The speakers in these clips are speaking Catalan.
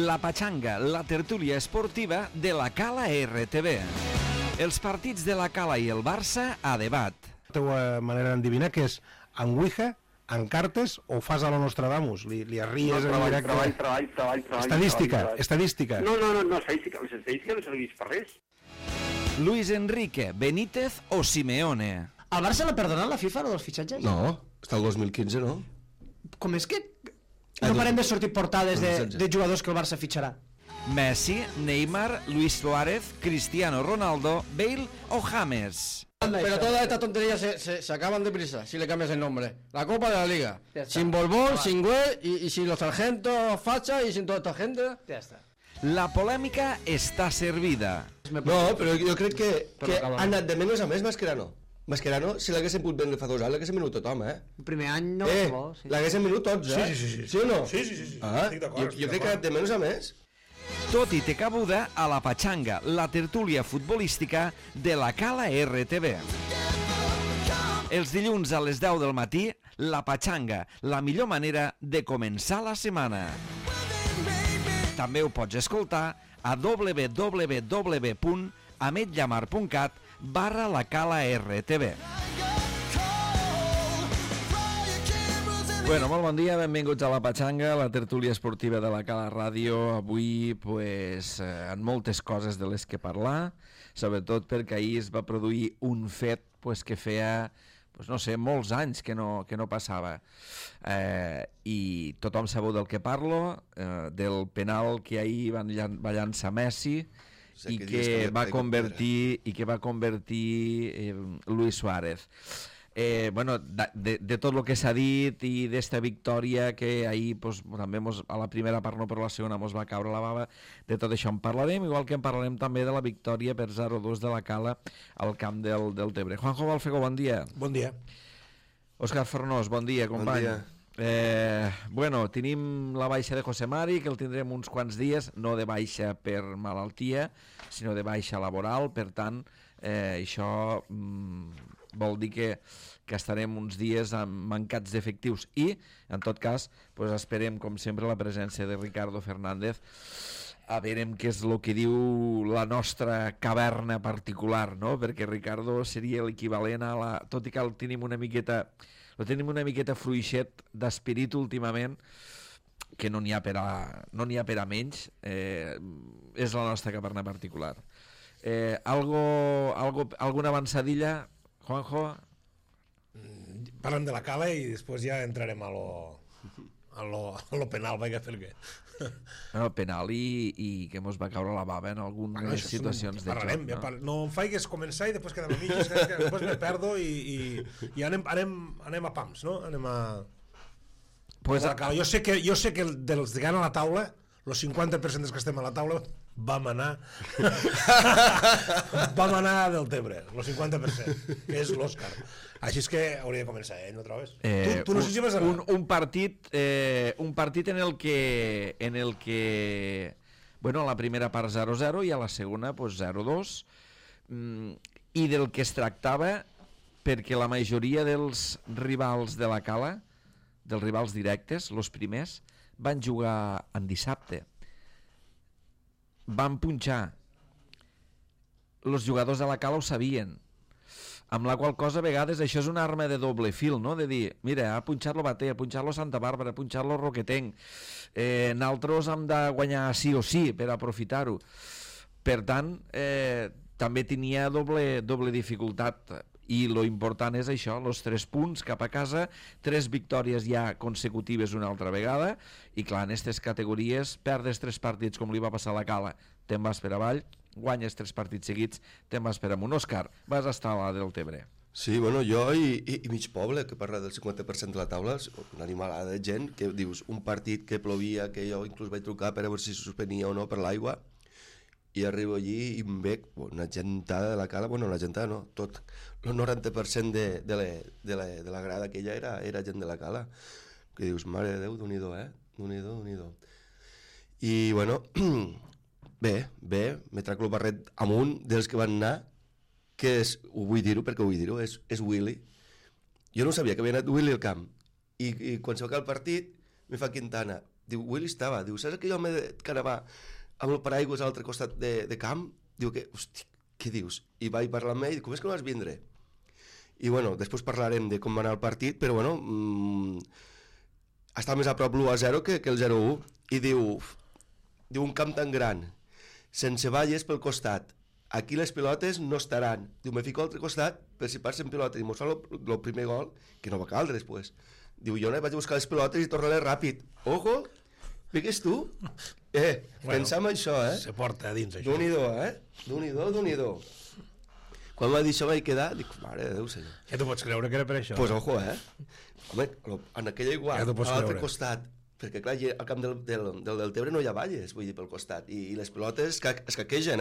La Pachanga, la tertúlia esportiva de la Cala RTV. Els partits de la Cala i el Barça a debat. La teva manera d'endevinar que és en Ouija, en cartes o fas a lo Nostradamus? Li arries en directe? Treball. Estadística. No, estadística. Les estadístiques no serveix per res. Luis Enrique, Benítez o Simeone. Al Barça l'ha perdonat la FIFA, els fitxatges? No, està el 2015, no? Com és que no parem de sortir portades de jugadors que el Barça fitxarà? Messi, Neymar, Luis Suárez, Cristiano Ronaldo, Bale o James. Pero todas estas tonterías se acaban deprisa si le cambias el nombre. La Copa de la Liga. Sin Borbón, sin Güell y sin los sargentos facha y sin toda esta gente. Ja està. La polèmica està servida. No, però jo crec que ha anat de menys a més Mascherano. Mascherano, si l'haguessin pogut vendre fa 2 anys, l'haguessin venut tothom, El primer any no bo, sí. L'haguessin venut tots, Sí. Sí o no? Sí. Estic d'acord. Jo crec que ha anat de menys a més. Tot i té cabuda a la Pachanga, la tertúlia futbolística de la Cala RTV. Els dilluns a les 10 del matí, la Pachanga, la millor manera de començar la setmana. També ho pots escoltar a www.ametllamar.cat/la Cala RTV. Bueno, molt bon dia, benvinguts a la Pachanga, la tertúlia esportiva de la Cala Ràdio. Avui, en moltes coses de les que parlar, sobretot perquè ahir es va produir un fet que feia, no sé, molts anys que no passava. I tothom sabeu del que parlo, del penal que ahir va llançar Messi i que va convertir Luis Suárez. De tot el que s'ha dit i d'esta victòria que ahir també a la primera part, no, però a la segona mos va caure la bava, de tot això en parlarem, igual que en parlarem també de la victòria per 0-2 de la Cala al camp del Tebre. Juanjo Balfego, bon dia. Bon dia. Òscar Fornós, bon dia, company. Bon dia. Tenim la baixa de José Mari, que el tindrem uns quants dies, no de baixa per malaltia, sinó de baixa laboral, per tant, això vol dir que estarem uns dies mancats d'efectius i, en tot cas, esperem, com sempre, la presència de Ricardo Fernández. A veure què és el que diu la nostra caverna particular, no? Perquè Ricardo seria l'equivalent a la... Tot i que el tenim una miqueta fluixet d'espirit últimament, que no n'hi ha per a menys, és la nostra caverna particular. Alguna avançadilla, Juanjo? Parlem de la Cala i després ja entrarem a lo penal, perquè... Penal i que mos va caure la bava en algunes situacions de joc. No em faigues començar i després quedem a mitges, que després me perdo i anem a pams, no? Anem a... Jo sé que dels que han a la taula, els 50% dels que estem a la taula vam anar del Tebre, el 50%, que és l'Òscar. Així és que hauria de començar, no trobes? Tu no sé si vas anar. Un partit en el que a la primera part 0-0 i a la segona 0-2, i del que es tractava, perquè la majoria dels rivals de la Cala, dels rivals directes, els primers, van jugar en dissabte. Van punxar. Els jugadors de la Cala ho sabien, amb la qual cosa a vegades això és una arma de doble fil, no? De dir, mira, ha punxat lo Bater, ha punxat lo Santa Bàrbara, ha punxat lo Roquetenc, nosaltres hem de guanyar sí o sí per aprofitar-ho. Per tant, també tenia doble dificultat, i lo important és això, els 3 punts cap a casa, 3 victòries ja consecutives una altra vegada, i clar, en aquestes categories perdes 3 partits com li va passar a la Cala, te'n vas per avall, guanyes 3 partits seguits, te'n vas per amunt. Òscar, vas estar a la del Tebre. Sí, bueno, jo i mig poble, que parla del 50% de la taula, una animalada de gent, que dius, un partit que plovia, que jo inclús vaig trucar per a veure si se suspenia o no per l'aigua, i arribo allí i em veig una gentada de la Cala, una gentada no, tot el 90% de la grada aquella era gent de la Cala, que dius, mare de Déu, Déu-n'hi-do, Déu-n'hi-do. I bueno, bé, me trac el barret amunt dels que van anar, que és, ho vull dir-ho perquè ho vull dir-ho, és Willy. Jo no sabia que havia anat Willy al camp, i quan se va acabar el partit me fa Quintana, Diu, Willy estava, diu, saps aquell home que anava amb el paraigües a l'altre costat de camp? Diu que, hosti, què dius? I vaig parlar amb ell, com és que no vas vindre? I bueno, després parlarem de com va anar el partit, però bueno, està més a prop l'1-0 que el 0-1. I diu, un camp tan gran, sense valles pel costat, aquí les pilotes no estaran. Diu, me fico a l'altre costat per si passen pilotes i mos fa el primer gol, que no va caldre després. Diu, jo vaig a buscar les pilotes i tornaré ràpid. Ojo, vigues tu? Pensa en això, Se porta a dins, això. D'un-i-do, D'un-i-do. Quan va dir això vaig quedar, dic, mare de Déu, senyor. Ja t'ho pots creure que era per això? Pues ojo, Home, en aquella igual, Ja a l'altre costat, perquè clar, al camp del Deltebre no hi ha valles, vull dir, pel costat, i les pilotes es caquegen,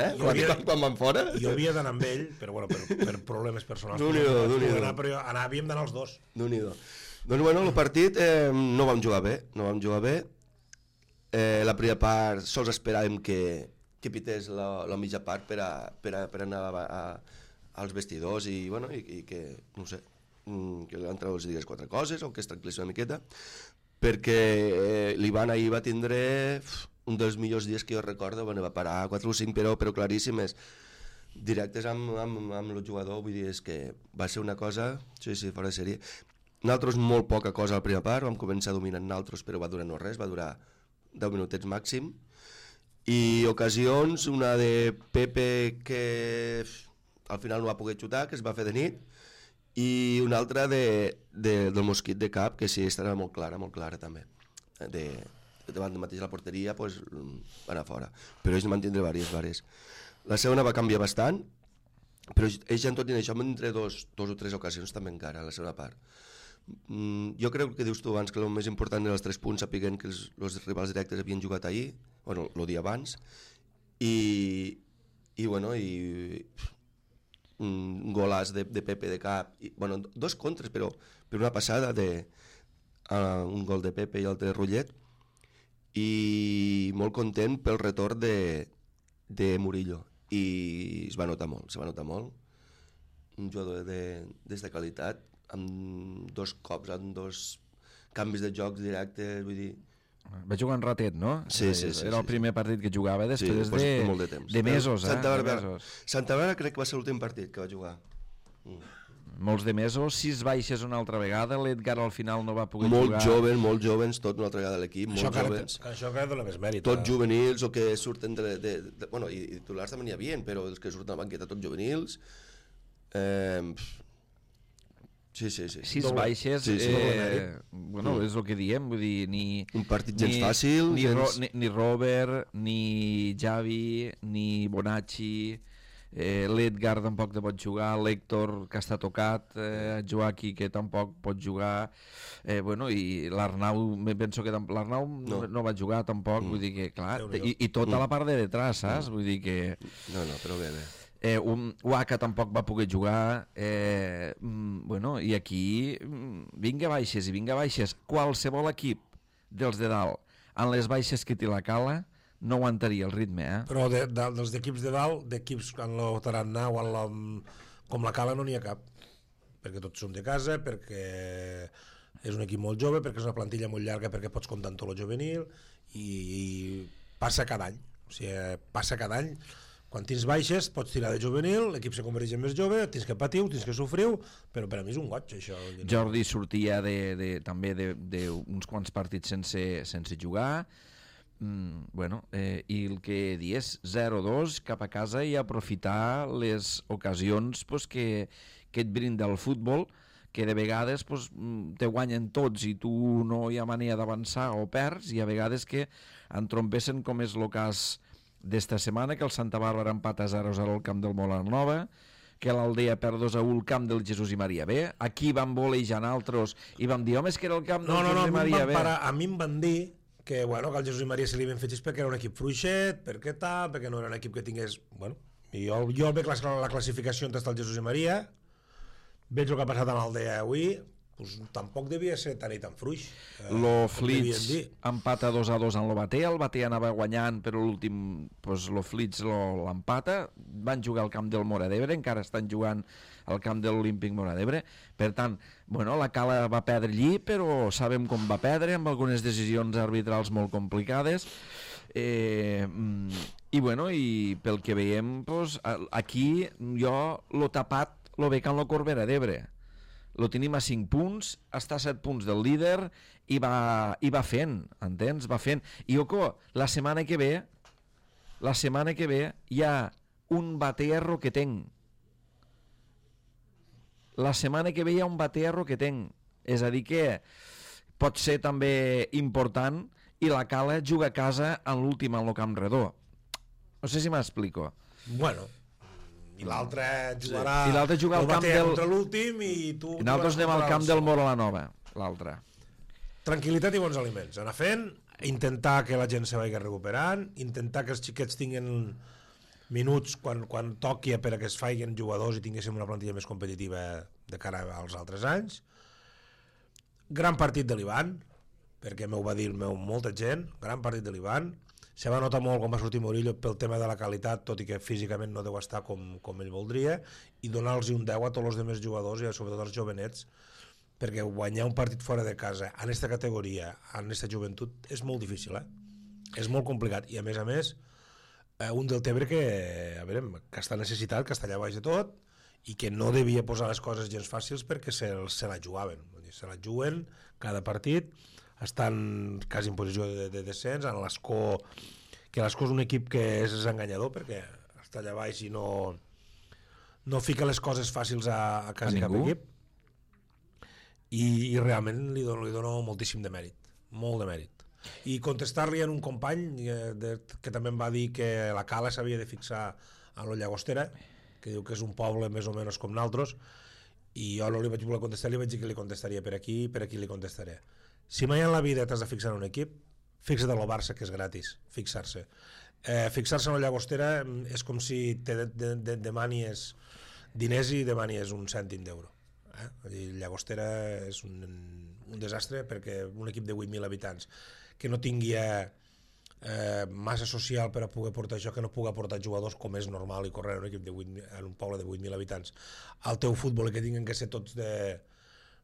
quan van fora. Jo havia d'anar amb ell, però bueno, per problemes personals. D'un-i-do. Però havíem d'anar els dos. D'un-i-do. Doncs bueno, el partit no vam jugar bé. La primera part sols esperàvem que pités la mitja part per anar als vestidors i que, no sé, que l'entrenador els digués 4 coses o que es tranquil·lissi una miqueta, perquè l'Ivan ahir va tindre un dels millors dies que jo recordo, va parar 4 o 5 però claríssimes, directes amb el jugador, vull dir, és que va ser una cosa, sí, fora de sèrie. Nosaltres molt poca cosa a la primera part, vam començar dominant nosaltres, però va durar no res, va durar 10 minutets màxim, i ocasions, una de Pepe que al final no va poder xutar, que es va fer de nit, i una altra del Mosquit de Cap, que sí, estarà molt clara també. Davant de mateix la porteria, va anar fora. Però ells en van tindre diverses. La segona va canviar bastant, però ells ja en tot i això van tindre dos o tres ocasions també encara, a la segona part. Jo crec que dius tu abans que el més important eren els 3 punts, sapiguent que els rivals directes havien jugat ahir, el dia abans, i un golàs de Pepe de Cap, 2 contres, però per una passada un gol de Pepe i l'altre de Rullet, i molt content pel retorn de Murillo, i es va notar molt, un jugador de qualitat, amb 2 cops, amb 2 canvis de jocs directes, vull dir... Va jugar en ratet, no? Sí. Era el primer partit que jugava després de mesos. Santa Bàrbara crec que va ser l'últim partit que va jugar. Molts de mesos, 6 baixes una altra vegada, l'Edgar al final no va poder jugar. Molt jovens, tot una altra vegada a l'equip, molt jovens. Això que dona més mèrit. Tots juvenils o que surten i titulars també n'hi havia, però els que surten a la banqueta tots juvenils. Sí. 6 baixes, és el que diem, vull dir, un partit gens fàcil, ni Robert, ni Javi, ni Bonacci, l'Edgar tampoc pot jugar, l'Héctor que està tocat, Joaquí que tampoc pot jugar, i l'Arnau, penso que l'Arnau no va jugar tampoc, vull dir que clar, i tota la part de detrás, saps? Vull dir que... No, però bé. Waka tampoc va poder jugar, i aquí vinga baixes, qualsevol equip dels de dalt en les baixes que té la Cala no aguantaria el ritme, Però dels equips de dalt, d'equips en el Tarannà o com la Cala no n'hi ha cap, perquè tots són de casa, perquè és un equip molt jove, perquè és una plantilla molt llarga, perquè pots comptar amb tot el juvenil, i passa cada any, quan tens baixes pots tirar de juvenil, l'equip se converteix en més jove, tens que patiu, tens que sofriu, però per a mi és un goig, això. Jordi sortia també d'uns quants partits sense jugar, i el que dius, 0-2 cap a casa i aprofitar les ocasions que et brinda el futbol, que de vegades te guanyen tots i tu no hi ha manera d'avançar o perds, i a vegades que entrompessen, com és el cas d'esta setmana, que el Santa Bàrbara empata 0-0 al camp del Molar Nova, que l'Aldea perd 2-1 al camp del Jesús i Maria B. Aquí vam volejar altres i vam dir, home, és que era el camp del Jesús i Maria B. A mi em van dir que el Jesús i Maria se li havien fet perquè era un equip fluixet, perquè no era un equip que tingués... Jo veig la classificació on està el Jesús i Maria, veig el que ha passat amb l'Aldea avui, pues, tampoc devia ser tan i tan fluix. Lo Flits empata 2-2 en lo Batea, el Batea anava guanyant, però l'últim, pues, lo Flits l'empata, van jugar al camp del Móra d'Ebre, encara estan jugant al camp de l'Olímpic Móra d'Ebre, per tant, bueno, la Cala va perdre allí, però sabem com va perdre, amb algunes decisions arbitrals molt complicades, i bueno, i pel que veiem, pues, aquí jo l'ho tapat, lo veig en la Corbera d'Ebre. Lo tenim a 5 punts, està a 7 punts del líder i va fent, entens? Va fent. I oco, la setmana que ve hi ha un batearro que tenc. La setmana que ve hi ha un batearro que tenc. És a dir que pot ser també important i la Cala juga a casa en l'últim en el Camp Redó. No sé si m'explico. Bueno, i l'altre jugarà, sí. I l'altre juga al camp del... contra l'últim i tu... I nosaltres anem al camp del Móra la Nova, l'altre. Tranquil·litat i bons aliments. Anar fent, intentar que la gent se vagi recuperant, intentar que els xiquets tinguin minuts quan toqui per a que es faiguen jugadors i tinguéssim una plantilla més competitiva de cara als altres anys. Gran partit de l'Ivan, perquè m'ho va dir molta gent, gran partit de l'Ivan. Se va notar molt quan va sortir Murillo pel tema de la qualitat, tot i que físicament no deu estar com ell voldria, i donar-los un 10 a tots els altres jugadors i sobretot als jovenets, perquè guanyar un partit fora de casa en aquesta categoria, en aquesta joventut, és molt difícil, és molt complicat, i a més, un Deltebre que, a veure, que està necessitat, que està allà baix de tot, i que no devia posar les coses gens fàcils perquè se la jugaven, se la juguen cada partit, estan quasi en posició de descens, en l'Escó, que l'Escó és un equip que és enganyador perquè està allà baix i no fica les coses fàcils a quasi cap equip, i realment li dono moltíssim de mèrit, molt de mèrit. I contestar-li a un company que també em va dir que la Cala s'havia de fixar a la Llagostera, que diu que és un poble més o menys com nosaltres, i jo no li vaig voler contestar, li vaig dir que li contestaria per aquí li contestaré. Si mai en la vida t'has de fixar en un equip, fixa't en el Barça, que és gratis, fixar-se. Fixar-se en la Llagostera és com si demanis diners i demanis un cèntim d'euro. Llagostera és un desastre perquè un equip de 8.000 habitants que no tingui massa social per a poder portar això, que no pugui portar jugadors com és normal i correr en un equip en un poble de 8.000 habitants al teu futbol i que tinguin que ser tots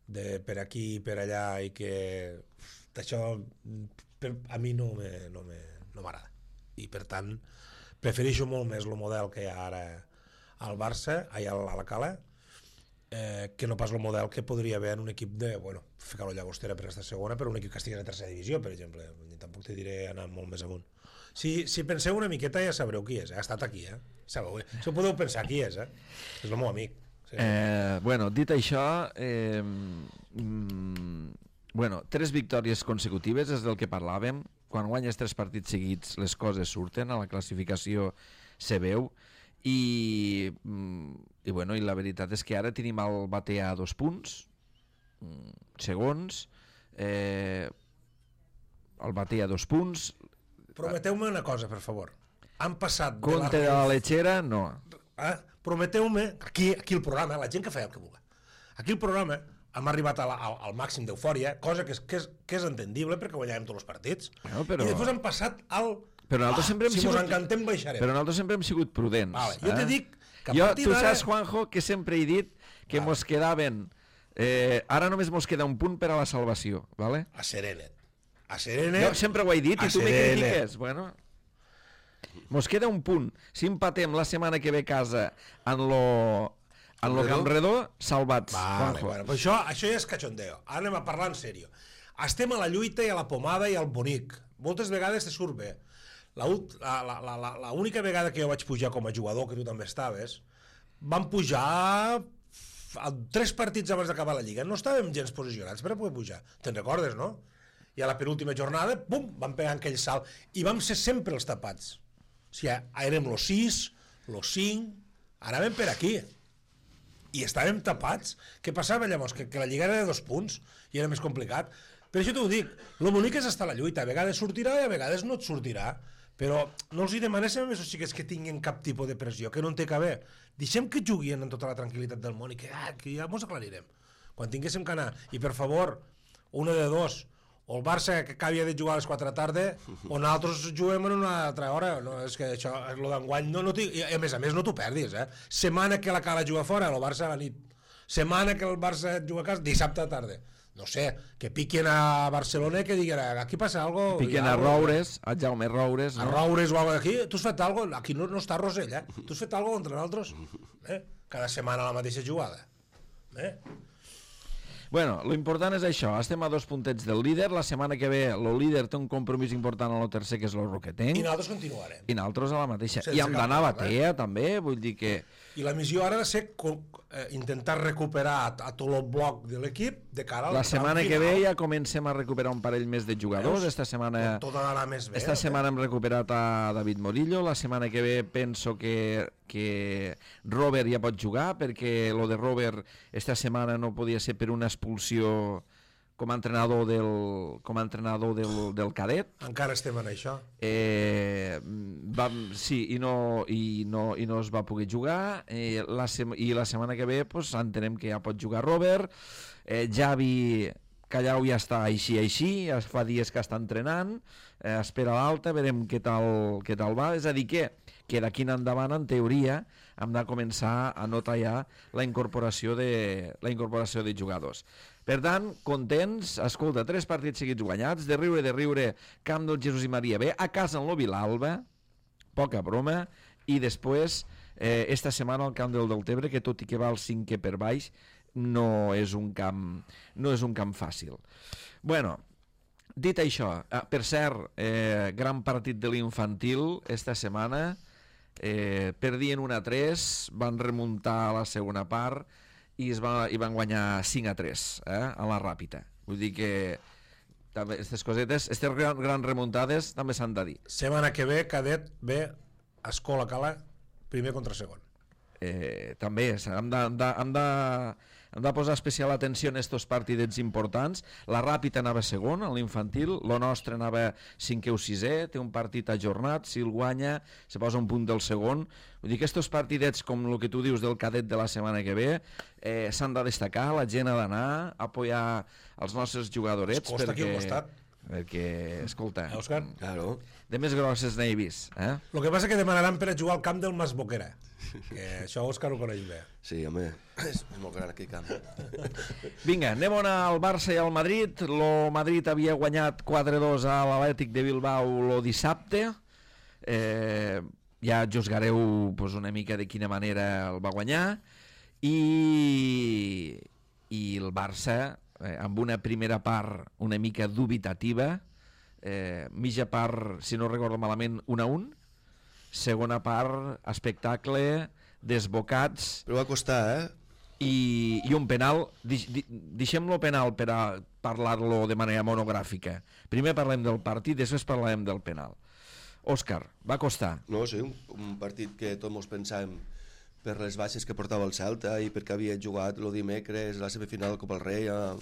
per aquí i per allà, i que això a mi no m'agrada, i per tant prefereixo molt més el model que hi ha ara al Barça, a la Cala, que no pas el model que podria haver en un equip de, ficar-lo a Llagostera per estar segona, però un equip que estigui a tercera divisió, per exemple. Tampoc te diré anar molt més amunt. Si penseu una miqueta ja sabreu qui és, ha estat aquí, sabeu, si ho podeu pensar qui és, és el meu amic. Sí. Dit això, 3 victòries consecutives és del que parlàvem. Quan guanyes 3 partits seguits les coses surten, a la classificació se veu, i la veritat és que ara tenim el Batea a 2 punts segons, el Batea a 2 punts. Prometeu-me una cosa, per favor. Han passat Conte de la Lechera, no. Prometeu-me, aquí el programa, la gent que fa el que vulgui, aquí el programa hem arribat al màxim d'eufòria, cosa que és entendible perquè guanyàvem tots els partits, i després hem passat al... Però nosaltres sempre hem si mos encantem baixarem. Però nosaltres sempre hem sigut prudents. Jo te dic que a partir d'ara... Tu saps, Juanjo, que sempre he dit que mos quedaven... ara només mos queda un punt per a la salvació, ¿vale? A Serenet. Jo sempre ho he dit i tu me critiques. Bueno... Mos queda un punt. Si empatem la setmana que ve a casa en lo Camp Redó, salvats. Però això ja és cachondeo. Ara anem a parlar en sèrio. Estem a la lluita i a la pomada i al bonic. Moltes vegades te surt bé. L'única vegada que jo vaig pujar com a jugador, que tu també estaves, vam pujar 3 partits abans d'acabar la Lliga. No estàvem gens posicionats per a poder pujar. Te'n recordes, no? I a la penúltima jornada, bum, vam pegar aquell salt. I vam ser sempre els tapats. O sigui, érem los 6, los 5, anàvem per aquí. I estàvem tapats. Què passava llavors? Que la Lliga era de 2 punts i era més complicat. Per això t'ho dic, el bonic és estar a la lluita. A vegades sortirà i a vegades no et sortirà. Però no els hi demanéssim a més els xiquets que tinguin cap tipus de pressió, que no en té que haver. Deixem que juguin amb tota la tranquil·litat del món i que ja mos aclarirem. quan tinguéssim que anar, i per favor, una de dos, o el Barça que acabi de jugar a les 4 de la tarda, o nosaltres juguem en una altra hora. No, és que això, lo d'enguany, no i a més no t'ho perdis, Setmana que la Cala juga fora, el Barça a la nit. Setmana que el Barça juga a casa, dissabte a tarda. No sé, que piquen a Barcelona i que diguin, aquí passa algo. Piquen a Roures, a Jaume Roures. A Roures o algo aquí. Tu has fet algo? Aquí no està Rosell, Tu has fet algo contra nosaltres? Cada setmana la mateixa jugada. Bueno, lo important és això, estem a 2 puntets del líder, la setmana que ve el líder té un compromís important a lo tercer, que és el Roquetenc. I nosaltres continuarem. I nosaltres a la mateixa. I hem d'anar a Batea, també, vull dir que... I la missió ara ha de ser intentar recuperar a tot el bloc de l'equip de cara al la setmana que ve ja comencem a recuperar un parell més de jugadors. Esta setmana tot anarà més bé. Esta setmana hem recuperat a David Morillo, la setmana que ve penso que Robert ja pot jugar, perquè lo de Robert esta setmana no podia ser per una expulsió com a entrenador del cadet. Encara estem en això. Sí, i no es va poder jugar, i la setmana que ve pues, entenem que ja pot jugar Robert. Javi Callau ja està així, fa dies que està entrenant, espera l'alta, veurem què tal va. És a dir que d'aquí en endavant, en teoria, hem de començar a notar ja la incorporació de jugadors. Per tant, contents, escolta, 3 partits seguits guanyats, de riure, camp del Jesús i Maria B, a casa en lo Vilalba, poca broma, i després, esta setmana al camp del Deltebre, que tot i que va al 5è per baix, no és un camp fàcil. Bueno, dit això, per cert, gran partit de l'infantil esta setmana, perdien 1-3, van remuntar a la segona part i van guanyar 5-3 a la Ràpita. Vull dir que aquestes cosetes, aquestes grans remuntades també s'han de dir. Setmana que ve, cadet ve a Escola Cala, primer contra segon. També hem de posar especial atenció en estos partidets importants. La Ràpita anava segon, a l'infantil, lo nostre anava 5è o 6è, té un partit ajornat, si el guanya se posa un punt del segon. Vull dir que estos partidets, com el que tu dius del cadet de la setmana que ve, s'han de destacar, la gent ha d'anar a apoyar els nostres jugadorets. Es costa aquí al costat. Perquè, escolta, Òscar? Claro. de més grosses n'he vist. El que passa és que demanaran per a jugar al camp del Mas Boquera, que això Òscar ho coneix bé. Sí, home, és molt gran aquell camp. Vinga, anem al Barça i al Madrid. Lo Madrid havia guanyat 4-2 a l'Atlètic de Bilbao lo dissabte. Ja juzgareu pues, una mica de quina manera el va guanyar. I el Barça, amb una primera part una mica dubitativa, mitja part, si no recordo malament, 1-1, segona part, espectacle, desbocats... Però va costar, i un penal, deixem-lo penal per a parlar-lo de manera monogràfica. Primer parlem del partit, després parlarem del penal. Òscar, va costar. No, sí, un partit que tots ens pensàvem per les baixes que portava el Celta i perquè havia jugat el dimecres la semifinal de Copa del Rei a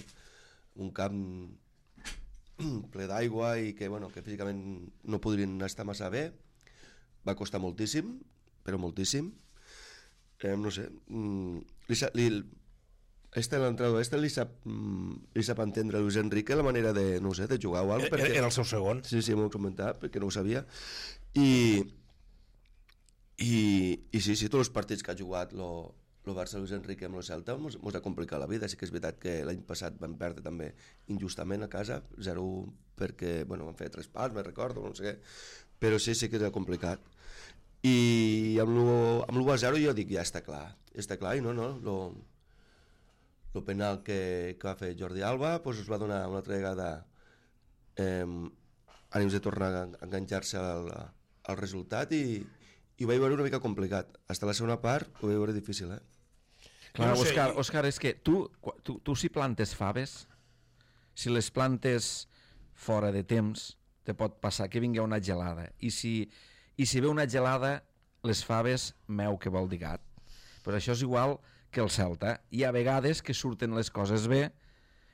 un camp ple d'aigua i que, bueno, que físicament no podrien estar massa bé. Va costar moltíssim, però moltíssim. No sé, l'entrenador li sap entendre Luis Enrique la manera de, no sé, de jugar o alguna cosa. Era el seu segon. Sí, m'ho he comentat, perquè no ho sabia. I sí, tots els partits que ha jugat el Barça Luis Enrique amb el Celta mos ha complicat la vida. Sí que és veritat que l'any passat vam perdre també injustament a casa, 0-1 perquè, bueno, vam fer 3 pals, me recordo, no sé què, però sí que era complicat. I amb l'1-0 jo dic, ja està clar, i no, el penal que va fer Jordi Alba pues es va donar una altra vegada ànims de tornar a enganxar-se al resultat i ho vaig veure una mica complicat. Fins a la segona part ho vaig veure difícil, Clar, no sé, Òscar, és que tu si plantes faves, si les plantes fora de temps, te pot passar que vingui una gelada. I si ve una gelada, les faves meu que vol dir gat. Però això és igual que el Celta. Hi ha vegades que surten les coses bé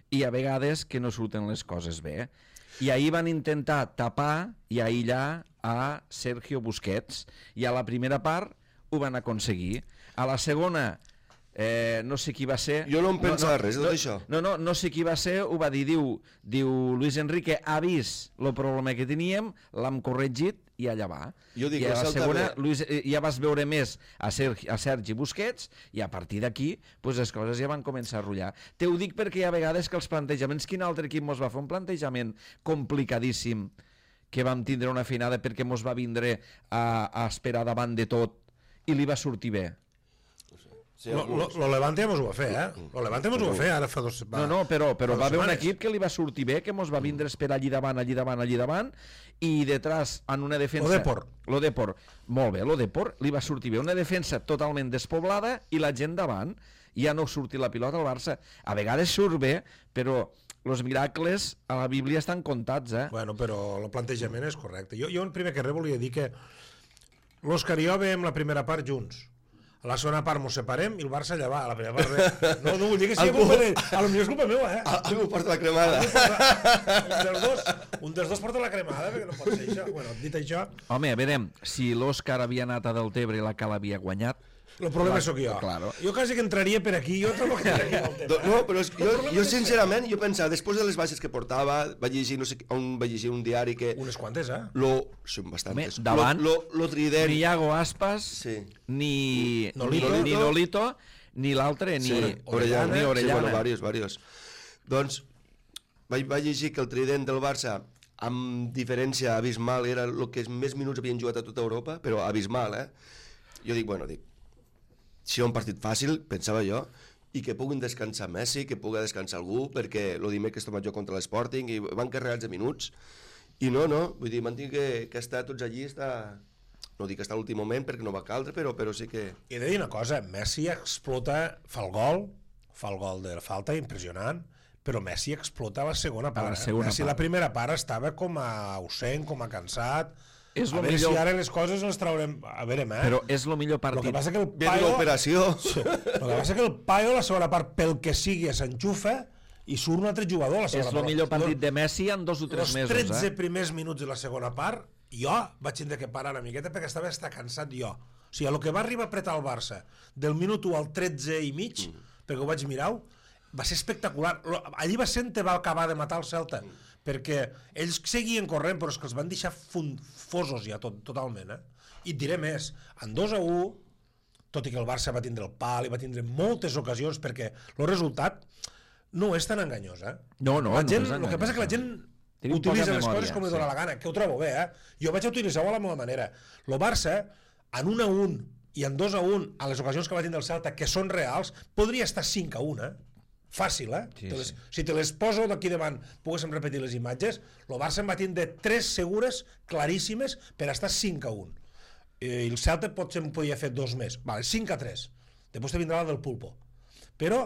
i hi ha vegades que no surten les coses bé. I ahir van intentar tapar i aïllar a Sergio Busquets i a la primera part ho van aconseguir. A la segona no sé qui va ser... Jo no em pensava res de tot això. No sé qui va ser, ho va dir, diu Luis Enrique ha vist el problema que teníem, l'hem corregit i allà va. Jo dic, I a la segona, Luis, ja vas veure més a Sergi Busquets i a partir d'aquí pues, les coses ja van començar a rotllar. Te ho dic perquè hi ha vegades que els plantejaments, quin altre equip mos va fer un plantejament complicadíssim que vam tindre una finada perquè mos va vindre a esperar davant de tot i li va sortir bé. Lo Levante mos ho va fer, Lo Levante mos ho va fer, ara fa dos... No, però va haver un equip que li va sortir bé, que mos va vindre a esperar allí davant, i detrás, en una defensa... Lo Depor. Molt bé, lo Depor li va sortir bé. Una defensa totalment despoblada i la gent davant. Ja no sortir la pilota al Barça. A vegades surt bé, però els miracles a la Bíblia estan comptats, Bueno, però el plantejament és correcte. Jo el primer que res volia dir que l'Òscar i jo veiem la primera part junts. A la segona part mos separem i el Barça allà va. A la primera part res. No vull dir que sigui culpa d'ell. A lo millor és culpa meva, Algú porta la cremada. Un dels dos porta la cremada, perquè no pot ser això. Bueno, dit això... Home, a veure, si l'Òscar havia anat a Deltebre i la Cal havia guanyat... El problema sóc jo. Claro. Jo quasi que entraria per aquí, jo trobo que entraria pel tema. No, però jo sincerament, jo pensava, després de les baixes que portava, vaig llegir, no sé on vaig llegir un diari que... Unes quantes, Són bastantes. Davant, lo trident... ni Iago Aspas, ni Nolito, ni l'altre, ni Orellana. Ni Orellana. Sí, bueno, varios. Doncs, vaig llegir que el trident del Barça, amb diferència abismal, era el que més minuts havien jugat a tota Europa, però abismal, Jo dic, si un partit fàcil, pensava jo, i que puguin descansar Messi, que pugui descansar algú, perquè el dimecres tomat jo contra l'Sporting i van carregats de minuts, i no, vull dir, mantinc que està tots allí, no dic que està a l'últim moment perquè no va caldre, però sí que... I he de dir una cosa, Messi explota, fa el gol de la falta, impressionant, però Messi explota a la segona part. Messi la primera part estava com a ausent, com a cansat... A veure si ara les coses les traurem... A veure, Però és el millor partit. Lo que passa que el Paio... Ve l'operació. Lo que passa que el Paio, la segona part, pel que sigui, s'enxufa i surt un altre jugador a la segona part. És el millor partit de Messi en 2 o 3 mesos. Els 13 primers minuts de la segona part, jo vaig tindre que parar una miqueta perquè estava cansat jo. O sigui, el que va arribar a apretar el Barça del minut 1 al 13 i mig, perquè ho vaig mirar, va ser espectacular. Allí va ser on va acabar de matar el Celta, perquè ells seguien corrent, però és que els van deixar fosos ja totalment. I et diré més, en 2-1, tot i que el Barça va tindre el pal i va tindre moltes ocasions, perquè el resultat no és tan enganyós. No, el que passa és que la gent utilitza les coses com li dóna la gana, que ho trobo bé. Jo vaig utilitzar-ho a la meva manera. El Barça, en 1-1 i en 2-1, a les ocasions que va tindre el Celta, que són reals, podria estar 5-1, fàcil, Sí. Si te les poso d'aquí davant, poguéssim repetir les imatges, el Barça en va tindre 3 segures, claríssimes, per estar 5-1. I el Celta potser en podia fer 2 més. Vale, 5-3. Després te vindrà la del Pulpo. Però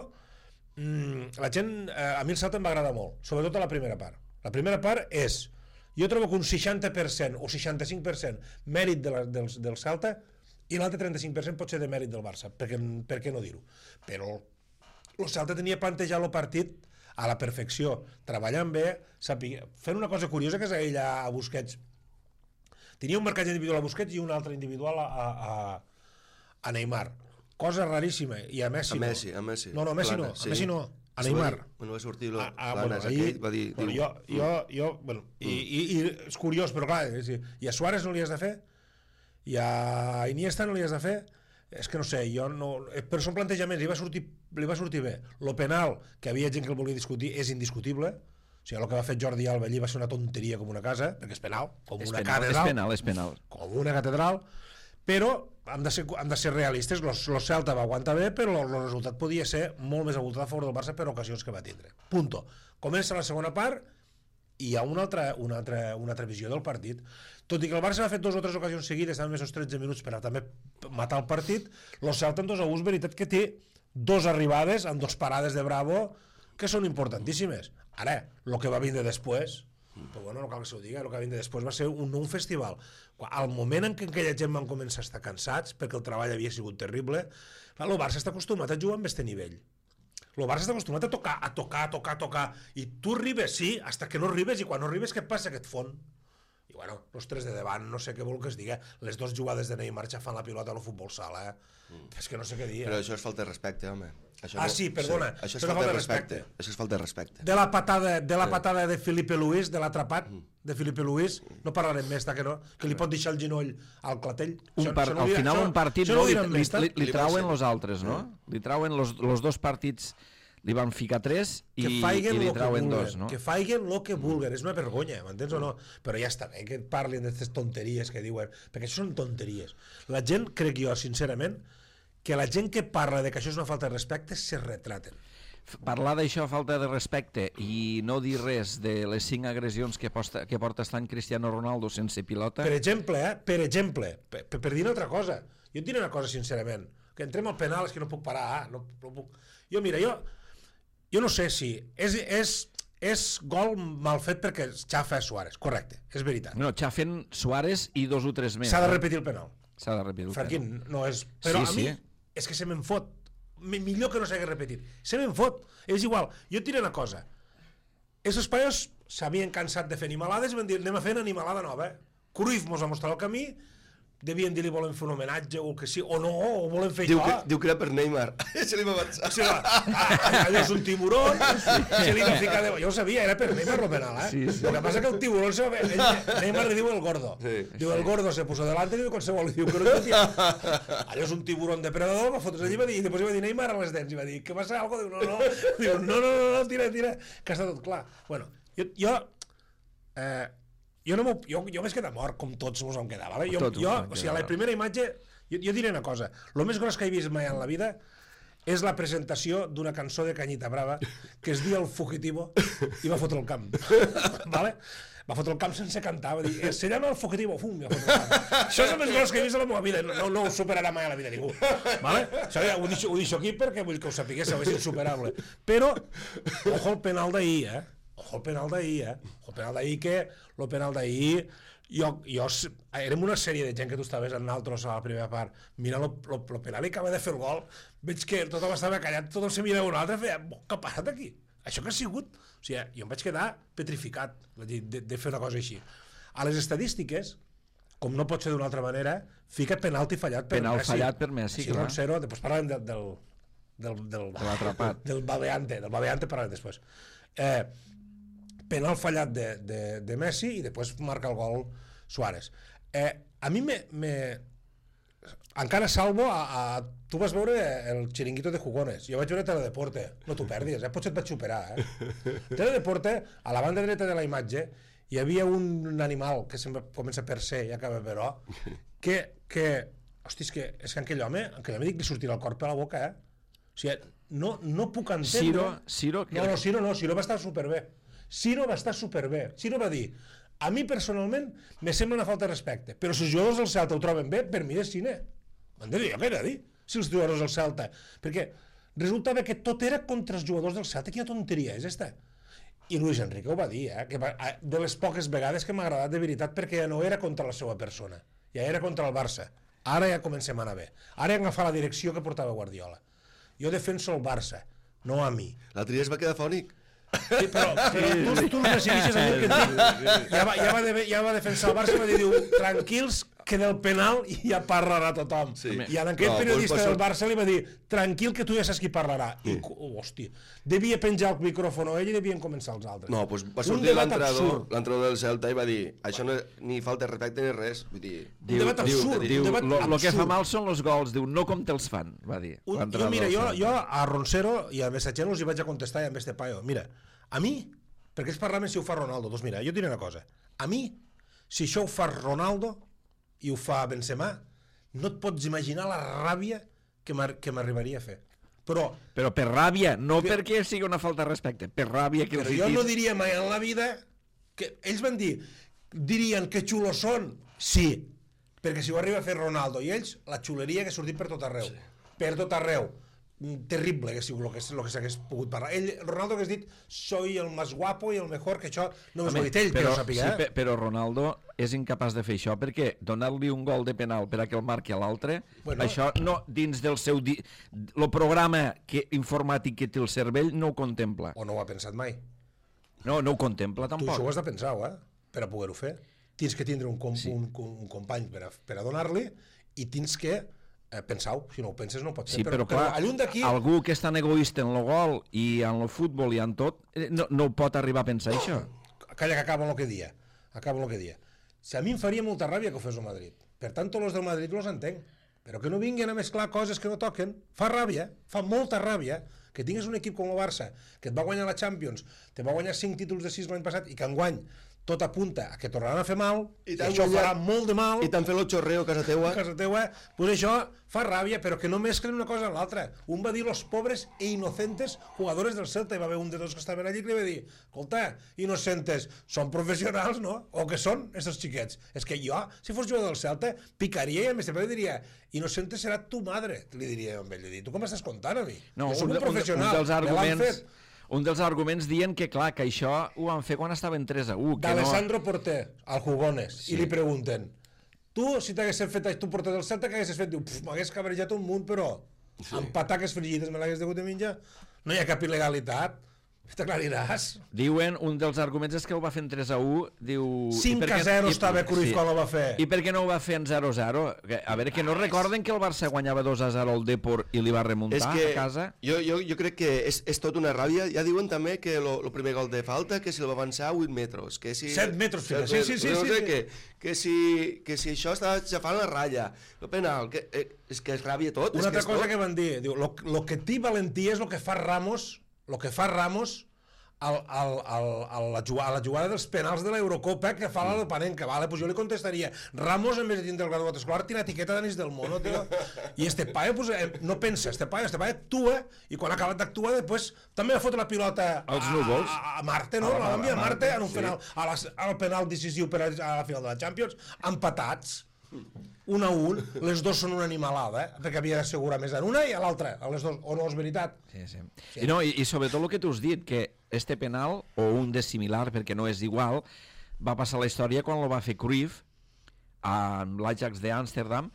la gent, a mi el Celta em va agradar molt, sobretot a la primera part. La primera part és, jo trobo que un 60% o 65% mèrit del Celta i l'altre 35% pot ser de mèrit del Barça, per què no dir-ho? Però el Celta tenia plantejat el partit a la perfecció, treballant bé, fent una cosa curiosa que és ella a Busquets. Tenia un marcatge individual a Busquets i un altre individual a Neymar. Cosa raríssima. I a Messi no. A Messi. No, a Messi no. A Messi no. A Neymar. No va sortir l'Anas aquell, va dir... I és curiós, però clar, i a Suárez no li has de fer? I a Iniesta no li has de fer? És que no sé, però són plantejaments, li va sortir bé. Lo penal, que havia gent que el volia discutir, és indiscutible. O sigui, el que va fer Jordi Alba allí va ser una tonteria com una casa, perquè és penal, com una catedral. És penal. Com una catedral. Però han de ser realistes. El Celta va aguantar bé, però el resultat podia ser molt més avoltat a favor del Barça per ocasions que va tindre. Punto. Comença la segona part i hi ha una altra visió del partit. Tot i que el Barça ha fet 2 o 3 ocasions seguides, també més 13 minuts per a també matar el partit, el Celta en 2-1 és veritat que té 2 arribades amb 2 parades de Bravo que són importantíssimes. Ara, el que va vindre després, però bueno, no cal que s'ho digui, el que va vindre després va ser un festival. Al moment en què aquella gent van començar a estar cansats, perquè el treball havia sigut terrible, el Barça està acostumat a jugar amb aquest nivell. El Barça està acostumat a tocar, i tu arribes, sí, fins que no arribes, i quan no arribes, què et passa? Que et fon. bueno, els 3 de davant, no sé què vol que es digui, les 2 jugades de Neymar xafant la pilota al futbol sala, és que no sé què dir. Però això és falta de respecte, home. Sí, perdona, això és falta de respecte. Això és falta de respecte. De la patada de Felipe Luis, de l'atrapat de Felipe Luis, no parlarem més, que li pot deixar el genoll al clatell. Al final un partit li trauen els altres, no? Li trauen els 2 partits, li van ficar 3 i li trauen 2, no? Que faiguen el que vulguen, és una vergonya, m'entens o no? Però ja està bé que parlin d'aquestes tonteries que diuen, perquè això són tonteries. La gent, crec jo, sincerament, que la gent que parla de que això és una falta de respecte se retraten. Parlar d'això, falta de respecte, i no dir res de les 5 agressions que porta estant Cristiano Ronaldo sense pilota... Per exemple, per dir una altra cosa, jo et diré una cosa sincerament, que entrem al penal és que no puc parar, no puc... Jo, mira, jo no sé si és gol mal fet perquè xafa Suárez, correcte, és veritat. No, xafen Suárez i 2 o 3 més. S'ha de repetir el penal. S'ha de repetir el penal. Franquín, no és... Però a mi és que se me'n fot. Millor que no s'hagi repetit. Se me'n fot. És igual. Jo et diré una cosa. Els espanyols s'havien cansat de fer animalades i van dir, anem a fer una animalada nova. Cruyff mos va mostrar el camí, devien dir-li volem fer un homenatge o el que sí, o no, o volem fer això. Diu que era per Neymar. Se li va avançar. Allò és un tiburón, se li va ficar de... Jo ho sabia, era per Neymar el penal, eh? Lo que pasa que el tiburón se va... Neymar li diu el gordo. Diu el gordo se puso delante i diu qualsevol. Diu que no tia. Allò és un tiburón depredador, va fotre's allí i després va dir Neymar a les dents i va dir, què passa? Algo? Diu, no. Diu, no, tira, que està tot clar. Bueno, jo vaig quedar mort, com tots mos vam quedar, vale? O sigui, a la primera imatge, jo diré una cosa, el més gros que he vist mai en la vida és la presentació d'una cançó de Cañita Brava que es diu El Fugitivo i va fotre el camp, vale? Va fotre el camp sense cantar, va dir, se llama El Fugitivo, fum, va fotre el camp. Això és el més gros que he vist a la meva vida, no ho superarà mai a la vida ningú, vale? Això ho deixo aquí perquè vull que ho sapiguéssiu, és insuperable. Però, ojo el penal d'ahir, Ojo el penal d'ahir, el penal d'ahir, érem una sèrie de gent que tu estaves en altres a la primera part, mira el penal i acaba de fer el gol, veig que tothom estava callat, tothom se mirava un altre, feia, què ha passat aquí? Això què ha sigut? O sigui, jo em vaig quedar petrificat de fer una cosa així. A les estadístiques, com no pot ser d'una altra manera, fica penalti fallat per Messi. Penal fallat per Messi, clar. 0, després parlem de l'atrapat. Del babeante parlem després. Penal fallat de Messi i després marca el gol Suárez. A mi encara salvo tu vas veure el Chiringuito de Jugones, jo vaig veure Teledeporte, no t'ho perdis, potser et vaig superar. Teledeporte, a la banda dreta de la imatge hi havia un animal que sempre comença per C i acaba per O, és que aquell home dic li sortirà el cor per la boca, o sigui, no puc entendre... Ciro va estar superbé. Ciro va estar superbé. Ciro va dir, a mi personalment me sembla una falta de respecte, però si els jugadors del Celta ho troben bé, per mi és cine. M'entens? Jo què he de dir? Si els jugadors del Celta... Perquè resultava que tot era contra els jugadors del Celta. Quina tonteria és esta? I Luis Enrique ho va dir, que de les poques vegades que m'ha agradat de veritat, perquè ja no era contra la seva persona, ja era contra el Barça. Ara ja comencem a anar bé. Ara he agafat la direcció que portava Guardiola. Jo defenso el Barça, no a mi. L'altre dia es va quedar fònic. Sí, però tu no decidixes a mi que ja va defensar el Barça i va dir, tranquils, que del penal ja parlarà tothom. I a aquest periodista del Barça li va dir, tranquil, que tu ja saps qui parlarà. I, hòstia, devia penjar el micròfon ell i devien començar els altres. No, doncs va sortir l'entrenador del Celta i va dir, això no ni falta de respecte ni res. Un debat absurd. El que fa mal són els gols, diu, no com te'ls fan, va dir. Mira, jo a Roncero i a Messageros hi vaig a contestar i a este paio, mira, a mi, perquè ells parlaven si ho fa Ronaldo, doncs mira, jo diré una cosa, a mi, si això ho fa Ronaldo i ho fa Benzema, no et pots imaginar la ràbia que m'arribaria a fer. Però per ràbia, no perquè sigui una falta de respecte, per ràbia que els Però jo no diria mai en la vida que ells van dir, dirien que xulos són, sí, perquè si ho arriba a fer Ronaldo i ells, la xuleria que ha sortit per tot arreu, per tot arreu. Terrible que sigui el que s'hagués pogut parlar. Ronaldo hagués dit, soy el más guapo i el mejor, que això no ho ha dit ell, però sàpiga. Sí, però Ronaldo és incapaç de fer això, perquè donar-li un gol de penal per a que el marqui a l'altre, això no, dins del seu... el programa informàtic que té el cervell no ho contempla. O no ho ha pensat mai. No ho contempla, tampoc. Tu això ho has de pensar, per a poder-ho fer. tens que tindre un company per a donar-li i tens que pensar-ho, si no ho penses no pot ser. Sí, però clar, algú que és tan egoista en el gol i en el futbol i en tot, no pot arribar a pensar això. Calla que acaba el que dia. Si a mi em faria molta ràbia que ho fes el Madrid. Per tant, tots els del Madrid los entenc. Però que no vinguin a mesclar coses que no toquen. Fa ràbia, fa molta ràbia que tingues un equip com el Barça, que et va guanyar la Champions, te va guanyar 5 títols de 6 l'any passat i que enguany tot apunta a que tornaran a fer mal, i això farà molt de mal. I t'han fet el xorreo a casa teua. Pues això fa ràbia, però que no mesclen una cosa amb l'altra. Un va dir los pobres e inocentes jugadores del Celta, i va haver un de tots que estaven allí que li va dir, escolta, inocentes, són professionals, no? O que són, estos xiquets? És que jo, si fos jugador del Celta, picaria i a més sempre diria, inocente serà tu madre, li diria amb ell. Tu com m'estàs contant a mi? No, jo soc un professional, un dels arguments dient que, clar, que això ho van fer quan estaven 3-1. D'Alessandro Porter, al Jugones, i li pregunten, tu, si t'haguessis fet tu porter del Celta, què haguessis fet? Diu, m'hagués cabrejat un munt, però amb pataques frigides me l'hagués degut de menjar. No hi ha cap il·legalitat. T'aclariràs. Diuen, un dels arguments és que ho va fer en 3-1, diu... 5-0 estava Cruyff quan ho va fer. I per què no ho va fer en 0-0? A veure, que no recorden que el Barça guanyava 2-0 al Depor i li va remuntar a casa? Jo crec que és tot una ràbia. Ja diuen també que el primer gol de falta, que si el va avançar 8 metres. 7 metres, sí. Que si això estava xafant la ratlla. El penal, és que és ràbia tot. Una altra cosa que van dir, diu, lo que té valentia és el que fa Ramos a la jugada dels penals de l'Eurocopa que fa la Panenka, vale? Pues jo li contestaria, Ramos en vez de tindre el graduat escolar tiene etiqueta d'anís del mono, tío. I este paio pues, no pensa, este paio actua i quan ha acabat d'actuar després també va fotre la pilota a Marte, no? La va enviar a Marte en un penal, al penal decisiu per a la final de la Champions, empatats 1-1, les dos són una animalada, perquè havia d'assegurar més en una i a l'altra, a les dos, o no és veritat? Sí. I sobretot el que tu has dit, que este penal, o un de similar, perquè no és igual, va passar la història quan el va fer Cruyff amb l'Ajax d'Amsterdam,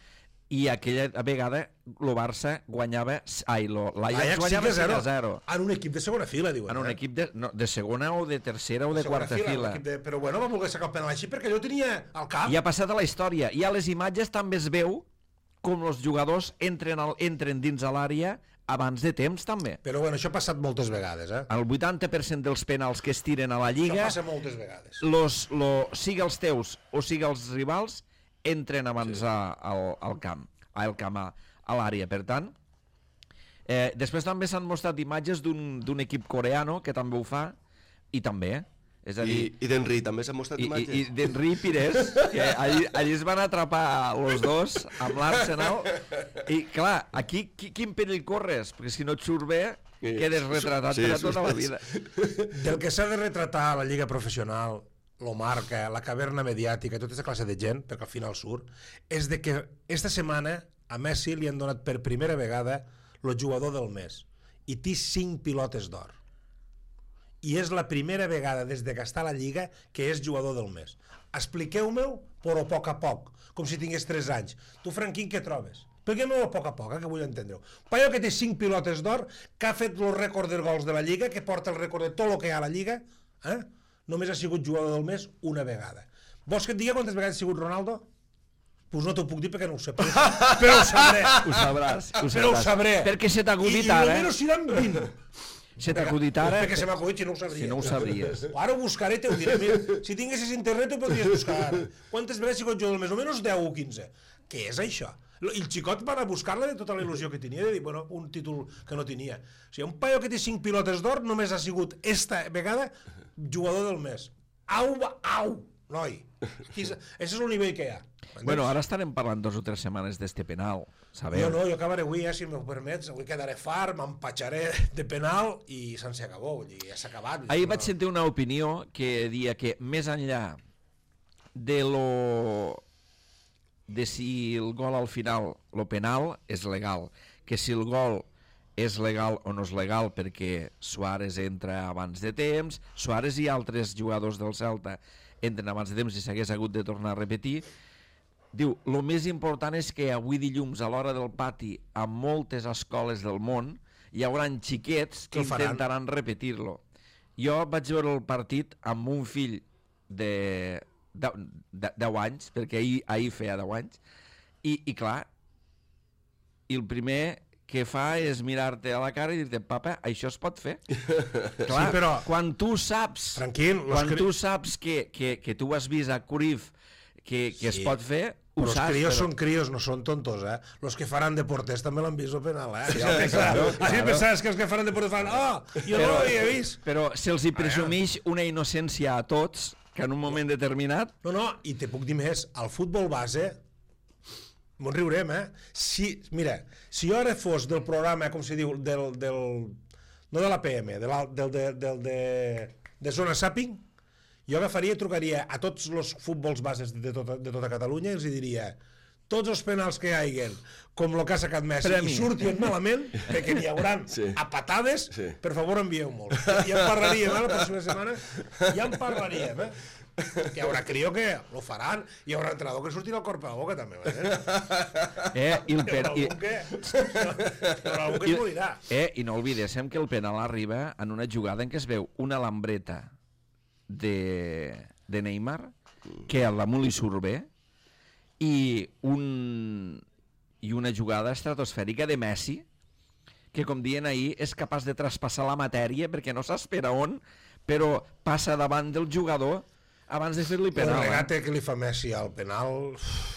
i aquella vegada el Barça guanyava... l'Ajax guanyava 5-0. En un equip de segona fila, diuen. En un equip de segona o de tercera o de quarta fila. Però bueno, va voler sacar el penal així perquè jo tenia al cap. I ha passat a la història. I a les imatges també es veu com els jugadors entren dins a l'àrea abans de temps, també. Però bueno, això ha passat moltes vegades, El 80% dels penals que es tiren a la Lliga... Això passa moltes vegades. Sigui els teus o sigui els rivals, entren abans al camp, a l'àrea. Per tant, després també s'han mostrat imatges d'un equip coreano que també ho fa, i també, és a dir... I d'Henry també s'han mostrat imatges. I d'Henry i Pires, que allí es van atrapar els dos amb l'Arsenal, i clar, aquí quin perill corres? Perquè si no et surt bé, quedes retratat per a tota la vida. Del que s'ha de retratar a la lliga professional, lo marca, la caverna mediàtica, tota aquesta classe de gent, perquè al final surt, és de que esta setmana a Messi li han donat per primera vegada el jugador del mes i té 5 pilotes d'or. I és la primera vegada des que està a la Lliga que és jugador del mes. Expliqueu-me-ho, però a poc a poc, com si tingués 3 anys. Tu, Franquín, què trobes? Expliqueu-me-ho a poc a poc, que vull entendre-ho. Paio que té 5 pilotes d'or, que ha fet el rècord de gols de la Lliga, que porta el rècord de tot el que hi ha a la Lliga, només ha sigut jugador del mes una vegada. Vols que et digui quantes vegades ha sigut Ronaldo? Doncs no t'ho puc dir perquè no ho sé, però ho sabré. Ho sabràs. Però ho sabré. Perquè se t'ha acudit ara. I només seran 20. Se t'ha acudit ara. Perquè se m'ha acudit si no ho sabria. Si no ho sabries. Ara ho buscaré i t'ho diré. Mira, si tinguessis internet ho podries buscar. Quantes vegades ha sigut jugador del mes? Almenys 10 o 15. Què és això? I el xicot va anar a buscar-la de tota la il·lusió que tenia, de dir, bueno, un títol que no tenia. O sigui, un paio que té 5 pilotes d'or només ha sigut esta vegada jugador del mes. Au, noi. Ese és el nivell que hi ha. Bueno, ara estarem parlant 2 o 3 setmanes d'este penal, sabeu? Jo acabaré avui, si m'ho permets, avui quedaré fart, m'empatxaré de penal i se'n s'acabó, ja s'ha acabat. Ahir vaig sentir una opinió que deia que més enllà de si el gol al final, lo penal, és legal, que si el gol és legal o no és legal perquè Suárez entra abans de temps, Suárez i altres jugadors del Celta entren abans de temps i s'hagués hagut de tornar a repetir. Diu, el més important és que avui dilluns a l'hora del pati a moltes escoles del món hi haurà xiquets que intentaran repetir-lo. Jo vaig veure el partit amb un fill de 10 anys, perquè ahir feia 10 anys, i clar, i el primer que fa és mirar-te a la cara i dir-te, papa, això es pot fer. Clar, sí, però... quan tu saps, tu saps que tu has vist a Cruyff que es pot fer, ho saps. Però els crios són crios, no són tontos, eh? Los que faran deportes també l'han vist el penal, eh? Així pensaves que els que faran deportes fan, jo no l'havia vist. Però se'ls hi presumeix una innocència a tots, que en un moment determinat... No, i te puc dir més, al futbol base... M'ho riurem, Mira, si jo ara fos del programa, com se diu, no de l'APM, de Zona Sàping, jo agafaria i trucaria a tots els futbols bases de tota Catalunya i els diria tots els penals que hi haguen, com el que ha sacat Messi, i surtin malament, perquè n'hi haurà a patades, per favor envieu molt. Ja en parlaríem, la pròxima setmana, ja en parlaríem, Hi haurà crio que lo faran, hi haurà entrenador que surtirà el cor per la boca també, i el penal hi haurà algú que es morirà. I no oblidéssim que el penal arriba en una jugada en què es veu una lambreta de Neymar que a l'amo li surt bé i una jugada estratosfèrica de Messi que, com diuen ahir, és capaç de traspassar la matèria perquè no s'espera on, però passa davant del jugador abans de fer-li penal. El regate que li fa Messi al penal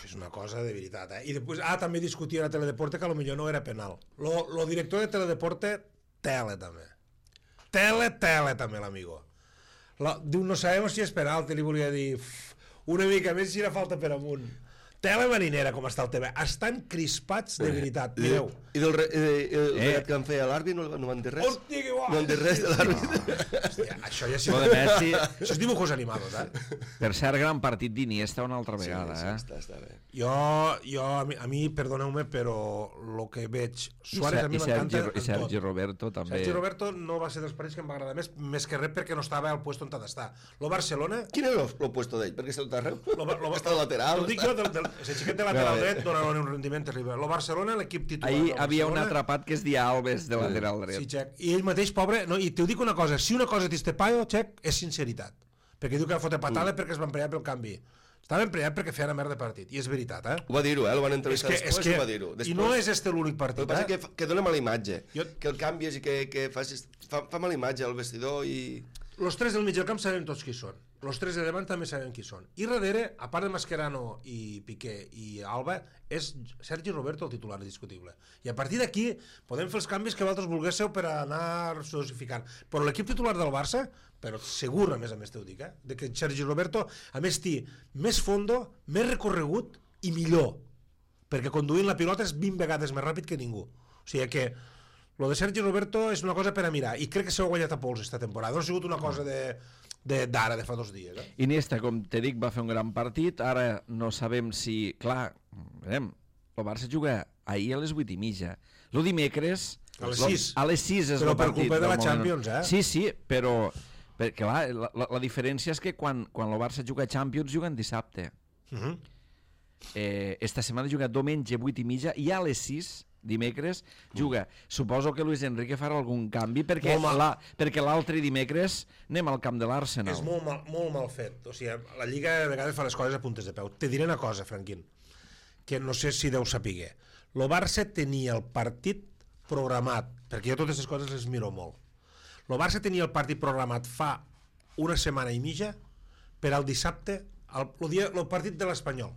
és una cosa de veritat. I després, també discutia a Teledeporte que potser no era penal. Lo director de Teledeporte, tele també. Tele també, l'amigo. Diu, no sabem si és penal, li volia dir una mica més si era falta per amunt. Tele marinera, com està el tema. Estan crispats de veritat, mireu. I del regat que van fer a l'àrbit no van dir res? Hòstia, que guai! No van dir res de l'àrbit? Això ja sí. Això és dibujos animados, Per cert, gran partit d'Iniesta una altra vegada, Sí, està bé. A mi, perdoneu-me, però el que veig... Suárez a mi m'encanta en tot. I Sergi Roberto també. Sergi Roberto no va ser dels partits que em va agradar més que res perquè no estava al puesto on ha d'estar. Lo Barcelona... Quin era el puesto d'ell? Perquè està arreu? Està de lateral? T'ho dic jo, el xiquet de lateral dret dona un rendiment terrible. Lo Barcelona, l'equip titular... Ahir havia un atrapat que es dia Alves de lateral dret. Sí, Xec. I ell mateix, pobre... I t'ho dic una cosa, si una cosa t'estepaio, Xec, és sinceritat. Perquè diu que va fotre patada perquè es va emprenyar pel canvi. Estava emprenyat perquè feia una merda de partit. I és veritat, Ho va dir-ho, el van entrevistar després, ho va dir-ho. I no és l'únic partit, El que passa que dona mala imatge. Que el canvies i que facis... Fa mala imatge al vestidor i... Los tres del mig del camp sabem tots qui són. Los tres de davant també sabem qui són. I darrere, a part de Mascherano i Piqué i Alba, és Sergi Roberto el titular indiscutible. I a partir d'aquí podem fer els canvis que vosaltres volguéssiu per anar dosificant. Però l'equip titular del Barça, però segur, a més t'ho dic, de que Sergi Roberto, a més, té més fondo, més recorregut i millor. Perquè conduint la pilota és 20 vegades més ràpid que ningú. O sigui que lo de Sergi Roberto és una cosa per a mirar, i crec que s'ho ha guanyat a pols esta temporada. No ha sigut una cosa d'ara, de fa 2 dies. Iniesta, com te dic, va fer un gran partit. Ara no sabem si... Clar, el Barça juga ahir a les 8:30. El dimecres... A les 6. A les 6 és el partit. Però per culpa de la Champions, Sí, però... Clar, la diferència és que quan el Barça juga a Champions juguen dissabte. Esta setmana juga diumenge 8:30 i a les 6 dimecres juga. Suposo que Luis Enrique farà algun canvi perquè l'altre dimecres anem al camp de l'Arsenal. És molt mal fet. O sigui, la Lliga a vegades fa les coses a puntes de peu. Te diré una cosa, Franquín, que no sé si deu saber. El Barça tenia el partit programat, perquè jo totes les coses les miro molt. El Barça tenia el partit programat fa una setmana i mitja per al dissabte, el partit de l'Espanyol.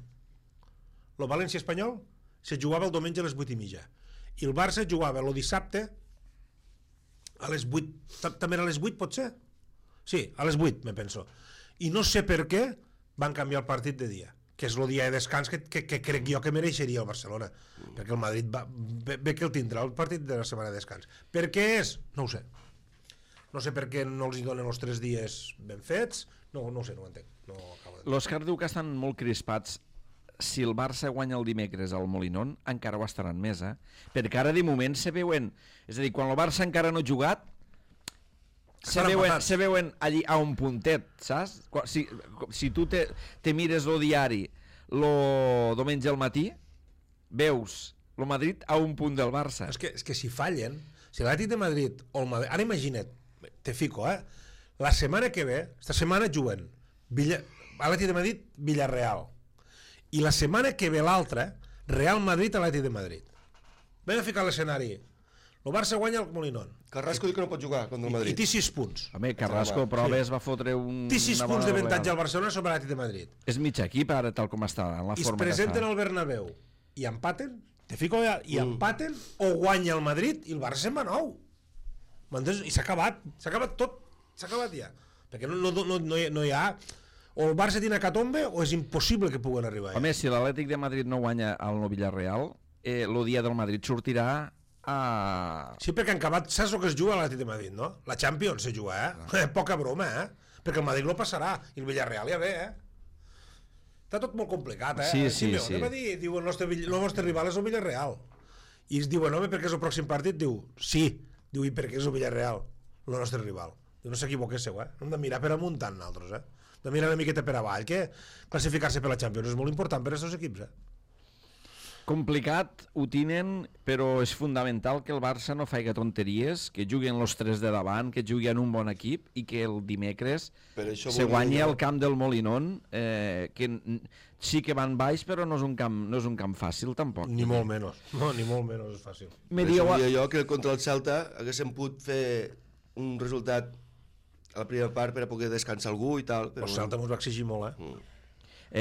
El València-Espanyol se jugava el diumenge a les 8:30. I el Barça jugava el dissabte a les 8. També era a les 8, pot ser? Sí, a les 8, me penso. I no sé per què van canviar el partit de dia, que és el dia de descans que crec jo que mereixeria el Barcelona, perquè el Madrid ve que el tindrà el partit de la setmana de descans. Per què és? No ho sé. No sé per què no els hi donen els 3 dies ben fets, no ho sé, no ho entenc. L'Òscar diu que estan molt crispats. Si el Barça guanya el dimecres al Molinón, encara ho estaran més, perquè ara de moment se veuen... És a dir, quan el Barça encara no ha jugat, se veuen allí a un puntet, saps? Si tu te mires el diari el diumenge al matí, veus el Madrid a un punt del Barça. És que si fallen, si l'Atlètic de Madrid o el Madrid... Ara imagina't, te fico, la setmana que ve, esta setmana juguen Atlètic de Madrid, Villarreal. I la setmana que ve l'altra, Real Madrid, Atlètic de Madrid. Vam a ficar l'escenari. El Barça guanya el Molinón. Carrasco diu que no pot jugar contra el Madrid. I té 6 punts. Home, Carrasco proves va fotre un... Té 6 punts d'avantatge al Barcelona sobre l'Atlètic de Madrid. És mig equip ara, tal com està, en la I es forma que presenten està. al Bernabéu i empaten, te fico allà, i empaten o guanya el Madrid i el Barça se'n va 9. M'entens? I s'ha acabat tot, s'ha acabat ja. Perquè no hi ha... O el Barça tiene catombe o és impossible que puguen arribar. Home, si l'Atlètic de Madrid no guanya al Nou Villarreal, el dia del Madrid sortirà a... Sí, perquè han acabat, saps el que es juga a l'Atlètic de Madrid, no? La Champions se juga, Poca broma, Perquè el Madrid no passarà, i el Villarreal ja ve, Està tot molt complicat, Sí. Va dir, diu, el nostre rival és el Villarreal. I es diuen, home, perquè és el pròxim partit? Diu, sí. Diu, i perquè és el Villarreal, el nostre rival. Diu, no s'equivoquéssiu, No hem de mirar per amuntant, nosaltres, de mirar una miqueta per avall, que classificar-se per la Champions és molt important per a aquests equips, Complicat, ho tenen, però és fundamental que el Barça no faci tonteries, que juguen els 3 de davant, que juguen un bon equip i que el dimecres se guanyi el camp del Molinón, que sí que van baix, però no és un camp fàcil, tampoc. Ni molt menys. No, ni molt menys és fàcil. Per això diria jo que contra el Celta haguéssim pogut fer un resultat a la primera part per a poder descansar algú i tal. Però el Celta ens va exigir molt,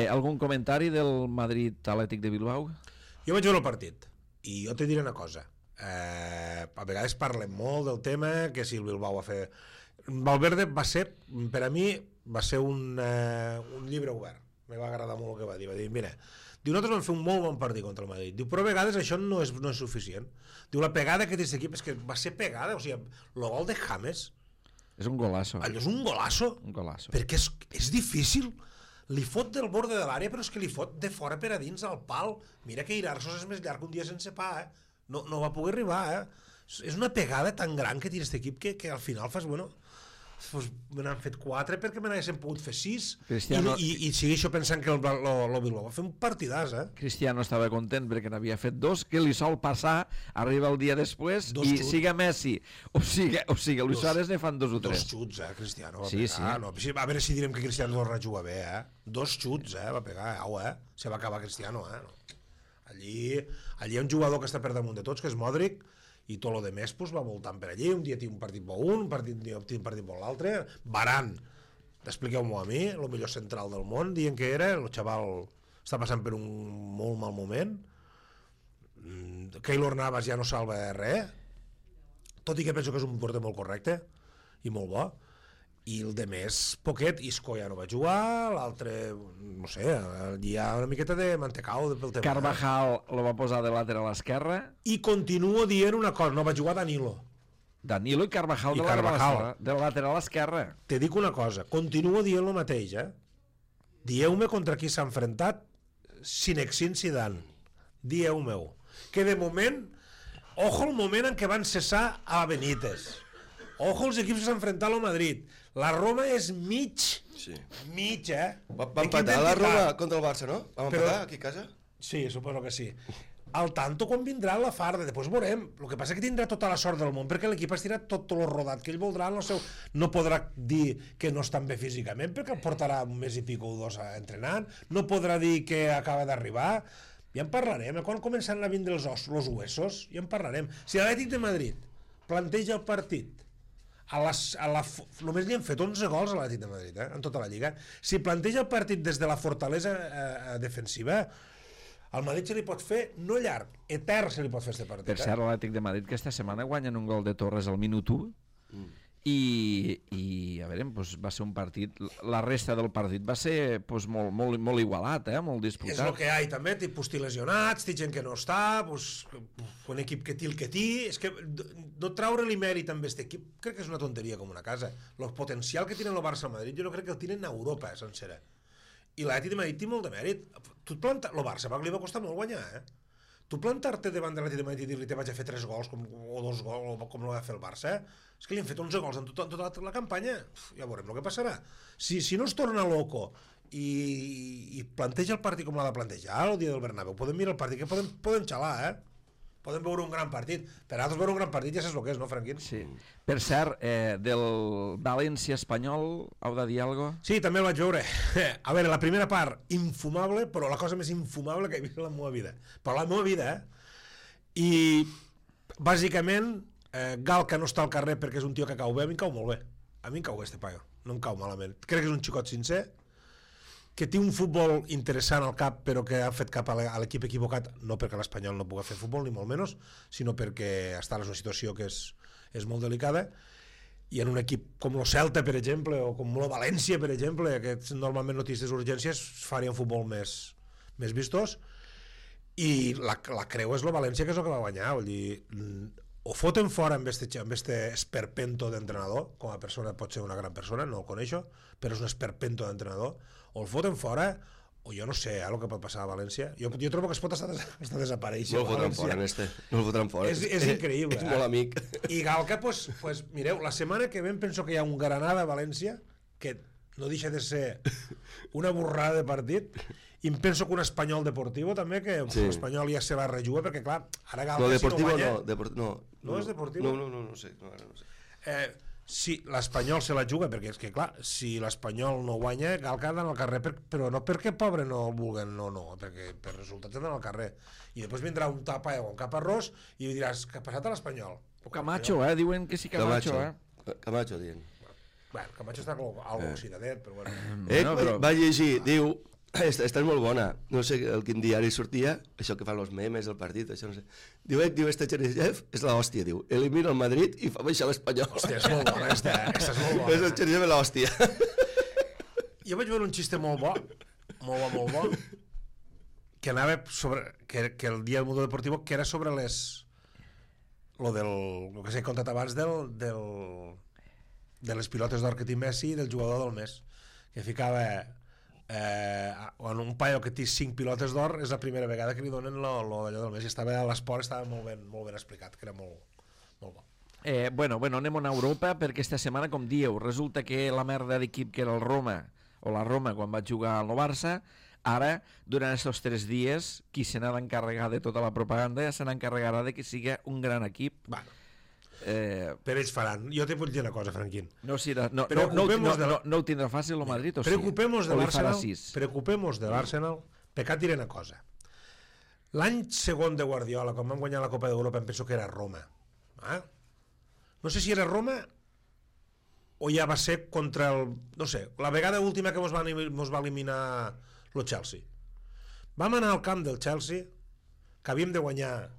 Algun comentari del Madrid Atlètic de Bilbao? Jo vaig veure el partit i jo te diré una cosa. A vegades parlem molt del tema que si el Bilbao va fer... Valverde va ser, per a mi, va ser un llibre obert. Me va agradar molt el que va dir. Va dir, mira, diu, nosaltres vam fer un molt bon partit contra el Madrid. Diu, però a vegades això no és suficient. Diu, la pegada que té aquest equip és que va ser pegada. O sigui, el gol de James... És un golazo. Allò és un golazo. Un golazo. Perquè és difícil. Li fot del borde de l'àrea, però és que li fot de fora per a dins al pal. Mira que Irarsos és més llarg un dia sense pa, No va poder arribar, És una pegada tan gran que tira aquest equip que al final fas, bueno... Pues me n'han fet 4 perquè me n'haguessin pogut fer 6 Cristiano... i segueixo pensant que el Bilbao va fer un partidàs, Cristiano estava content perquè n'havia fet 2, que li sol passar, arriba el dia després i siga Messi o siga Luis Suárez ne fan 2 o 3. 2 xuts, Cristiano va sí, pegar. No, a veure si direm que Cristiano torna a jugar bé, 2 xuts, va pegar, se va acabar Cristiano, no. Allí hi ha un jugador que està per damunt de tots, que és Modric, i tot lo de més pues, va voltant per allí, un dia tinc un partit bo un partit bo l'altre. Varane, expliqueu-m'ho a mi, el millor central del món, dient que era, el xaval està passant per un molt mal moment. Keylor Navas ja no salva res, tot i que penso que és un porter molt correcte i molt bo. I el de més, poquet, Isco ja no va jugar, l'altre, no sé, hi ha una miqueta de mantecao pel tema. Carvajal lo va posar de lateral esquerra. I continuo dient una cosa, no va jugar Danilo i Carvajal de lateral esquerra. Te dic una cosa, continuo dient el mateix, Dieu-me contra qui s'ha enfrontat Zinedine Zidane. Dieu-me-ho. Que de moment, ojo el moment en què van cessar a Benítez. Ojo els equips que s'han enfrontat al Madrid. La Roma és mig, Va empatar la Roma contra el Barça, no? Vam empatar aquí a casa? Sí, suposo que sí. Al tanto quan vindrà la farda, després veurem. El que passa és que tindrà tota la sort del món, perquè l'equip ha estirat tot el rodat que ell voldrà en el seu... No podrà dir que no està bé físicament, perquè el portarà un mes i pico o 2 entrenant, no podrà dir que acaba d'arribar. Ja en parlarem, quan començaran a vindre els huesos, ja en parlarem. Si l'Atlètic de Madrid planteja el partit només li han fet 11 gols a l'Atlètic de Madrid, en tota la Lliga. Si planteja el partit des de la fortalesa defensiva, al Madrid se li pot fer, no llarg, etern se li pot fer aquest partit. Per cert, l'Atlètic de Madrid que esta setmana guanyen un gol de Torres al minut 1 i a veure, doncs va ser un partit, la resta del partit va ser doncs, molt igualat, molt disputat. És el que hi ha, també, tipus lesionats, té gent que no està, doncs, un equip que té el que té, és que no traure-li mèrit amb aquest equip crec que és una tonteria com una casa. El potencial que tenen el Barça a Madrid jo no crec que el tenen a Europa sencera. I l'Atlètic de Madrid té molt de mèrit. El Barça li va costar molt guanyar, Tu plantar-te davant de l'Atlètic de Madrid i dir-li te vaig a fer 3 gols o 2 gols com el va fer el Barça, és que li han fet 11 gols en tota la campanya. Ja veurem el que passarà. Si no es torna loco i planteja el partit com l'ha de plantejar el dia del Bernabéu, podem mirar el partit, que podem xalar, podem veure un gran partit. Per altres veure un gran partit ja saps el que és, no, Franquín? Sí. Per cert, del València-Espanyol, heu de dir alguna cosa? Sí, també el vaig veure. A veure, la primera part, infumable, però la cosa més infumable que he vist en la meva vida. Però la meva vida, I, bàsicament, Galca no està al carrer perquè és un tio que cau bé, a mi em cau molt bé. A mi em cau bé, este paio. No em cau malament. Crec que és un xicot sincer, que té un futbol interessant al cap, però que ha fet cap a l'equip equivocat, no perquè l'Espanyol no pugui fer futbol, ni molt menys, sinó perquè està en una situació que és molt delicada, i en un equip com el Celta, per exemple, o com el València, per exemple, que normalment no té aquestes urgències, farien futbol més vistós, i la creu és el València, que és el que va guanyar. Vull dir, o foten fora amb este esperpento d'entrenador, com a persona pot ser una gran persona, no el coneixo, però és un esperpento d'entrenador, o el foten fora, o jo no sé el que pot passar a València. Jo trobo que es pot estar desapareixent. No el fotran fora, no el fotran fora. És increïble. És molt amic. I Galca, pues, mireu, la setmana que ven penso que hi ha un Granada a València, que no deixa de ser una borrada de partit, i em penso que un Espanyol Deportivo també, que l'Espanyol ja se la rejuga, perquè clar, ara Galca no, Deportivo, si no guanya... No és Deportivo? No sé. Si l'Espanyol se la juga, perquè és que clar, si l'Espanyol no guanya, Galca ha d'anar al carrer, però no perquè pobre no el vulguen, no, perquè per resultats ha d'anar al carrer. I després vindrà un tapa o un caparrós i diràs, què ha passat a l'Espanyol? O Camacho, diuen que sí Camacho, Camacho, diuen. Bueno, Camacho està algo oxidadet, però bueno. Però... Va llegir, diu, esta és molt bona, no sé el quin diari sortia, això que fan els memes del partit, això no sé. Diu, este Cheryshev és l'hòstia, diu, elimina el Madrid i fa baixar l'Espanyol. Hòstia, és molt bona, esta és molt bona. És el Cheryshev és l'hòstia. Jo vaig veure un xiste molt bo, que anava sobre, que el dia del Mundo Deportivo, que era sobre lo que s'ha contat abans de les pilotes d'or que té Messi i del jugador del mes, que ficava un paio que té 5 pilotes d'or és la primera vegada que li donen d'allò del mes, i estava a l'esport, estava molt ben explicat, que era molt bo. Bueno, anem a Europa, perquè esta setmana, com dieu, resulta que la merda d'equip que era el Roma, o la Roma quan va jugar al Barça, ara, durant aquests 3 dies, qui se n'ha d'encarregar de tota la propaganda ja se n'encarregarà de que sigui un gran equip. Bueno, per ells faran. Jo te vull dir una cosa, Franquín. No ho tindrà fàcil el Madrid, o sí? Preocupemos de l'Arsenal. Pecat diré una cosa. L'any segon de Guardiola, quan van guanyar la Copa d'Europa, em penso que era Roma. No sé si era Roma o ja va ser contra el... No sé, la vegada última que mos va eliminar el Chelsea. Vam anar al camp del Chelsea, que havíem de guanyar...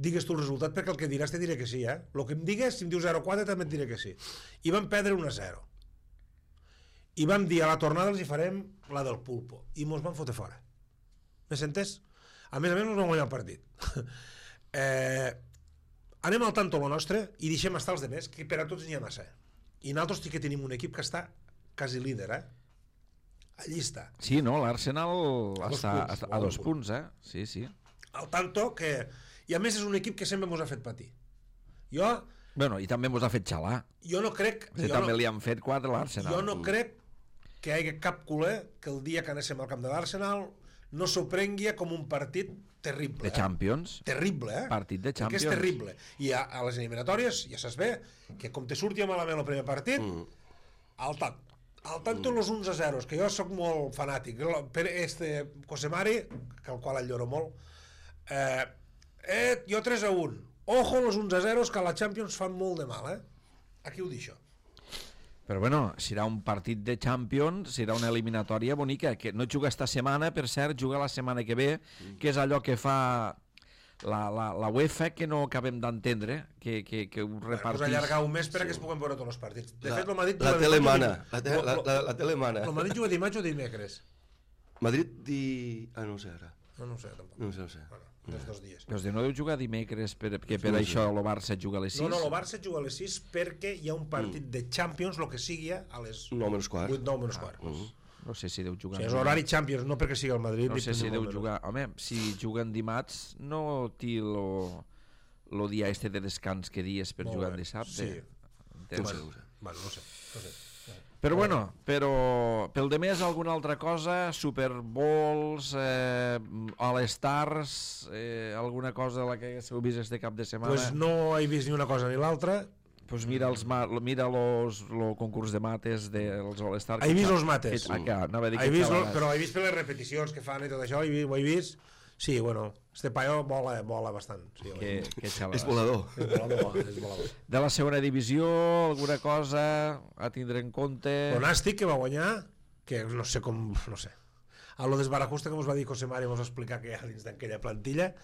Digues tu el resultat, perquè el que diràs te diré que sí, El que em digues, si em dius 0-4 també et diré que sí. I vam perdre 1-0. I vam dir a la tornada els hi farem la del pulpo. I mos van fotre fora. Me sentes? A més mos vam guanyar el partit. Anem al tanto lo nostre i deixem estar els demés, que per a tots n'hi ha massa. I nosaltres sí que tenim un equip que està quasi líder, Allí està. Sí, no? L'Arsenal està a 2 punts, Sí. Al tanto que... I a més és un equip que sempre mos ha fet patir. Bueno, i també mos ha fet xalar. Jo no crec... També li han fet 4 a l'Arsenal. Jo no crec que hi hagi cap culer que el dia que anéssim al camp de l'Arsenal no s'ho prengui com un partit terrible. De Champions. Terrible, Partit de Champions. Que és terrible. I a les eliminatòries ja saps bé que com te surti malament el primer partit, al tanto los 11-0, que jo sóc molt fanàtic. Per Cosemari, que el qual el lloro molt, jo 3-1. Ojo los 11-0, que a la Champions fan molt de mal, Aquí ho deixo. Però bueno, serà un partit de Champions, serà una eliminatòria bonica, que no juga esta setmana, per cert, juga la setmana que ve, que és allò que fa la UEFA, que no acabem d'entendre, que ho repartís. Pues allargar un mes per a que es puguen veure tots els partits. De fet, el Madrid... La telemana. La telemana. El Madrid juga dimarts o dimecres? Madrid no ho sé ara. No ho sé, tampoc. No ho sé. Dels 2 dies. Però no deu jugar dimecres, perquè per això el Barça juga a les 6? No, el Barça juga a les 6 perquè hi ha un partit de Champions, el que sigui, a les 9:15. 9:15. No sé si deu jugar... És horari Champions, no perquè sigui el Madrid. No sé si deu jugar... Home, si juguen dimarts, no té el dia de descans que dies per jugar dissabte. Sí. No sé. Bueno, no sé. Però bueno, pel de més alguna altra cosa, Super Bowls, All-Stars, alguna cosa la que haguéssiu vist este cap de setmana? Pues no he vist ni una cosa ni l'altra. Pues mira el concurs de mates dels All-Stars. He vist els mates. Però he vist per les repeticions que fan i tot això, ho he vist. Sí, bueno, este paio vola bastant. Sí, que xalada. És volador. És volador. De la segona divisió, alguna cosa a tindre en compte? Pronàstic que va guanyar, que no sé com... No sé. A lo desbarajusta que ens va dir José Mari, ens va explicar que hi ha dins d'aquella plantilla,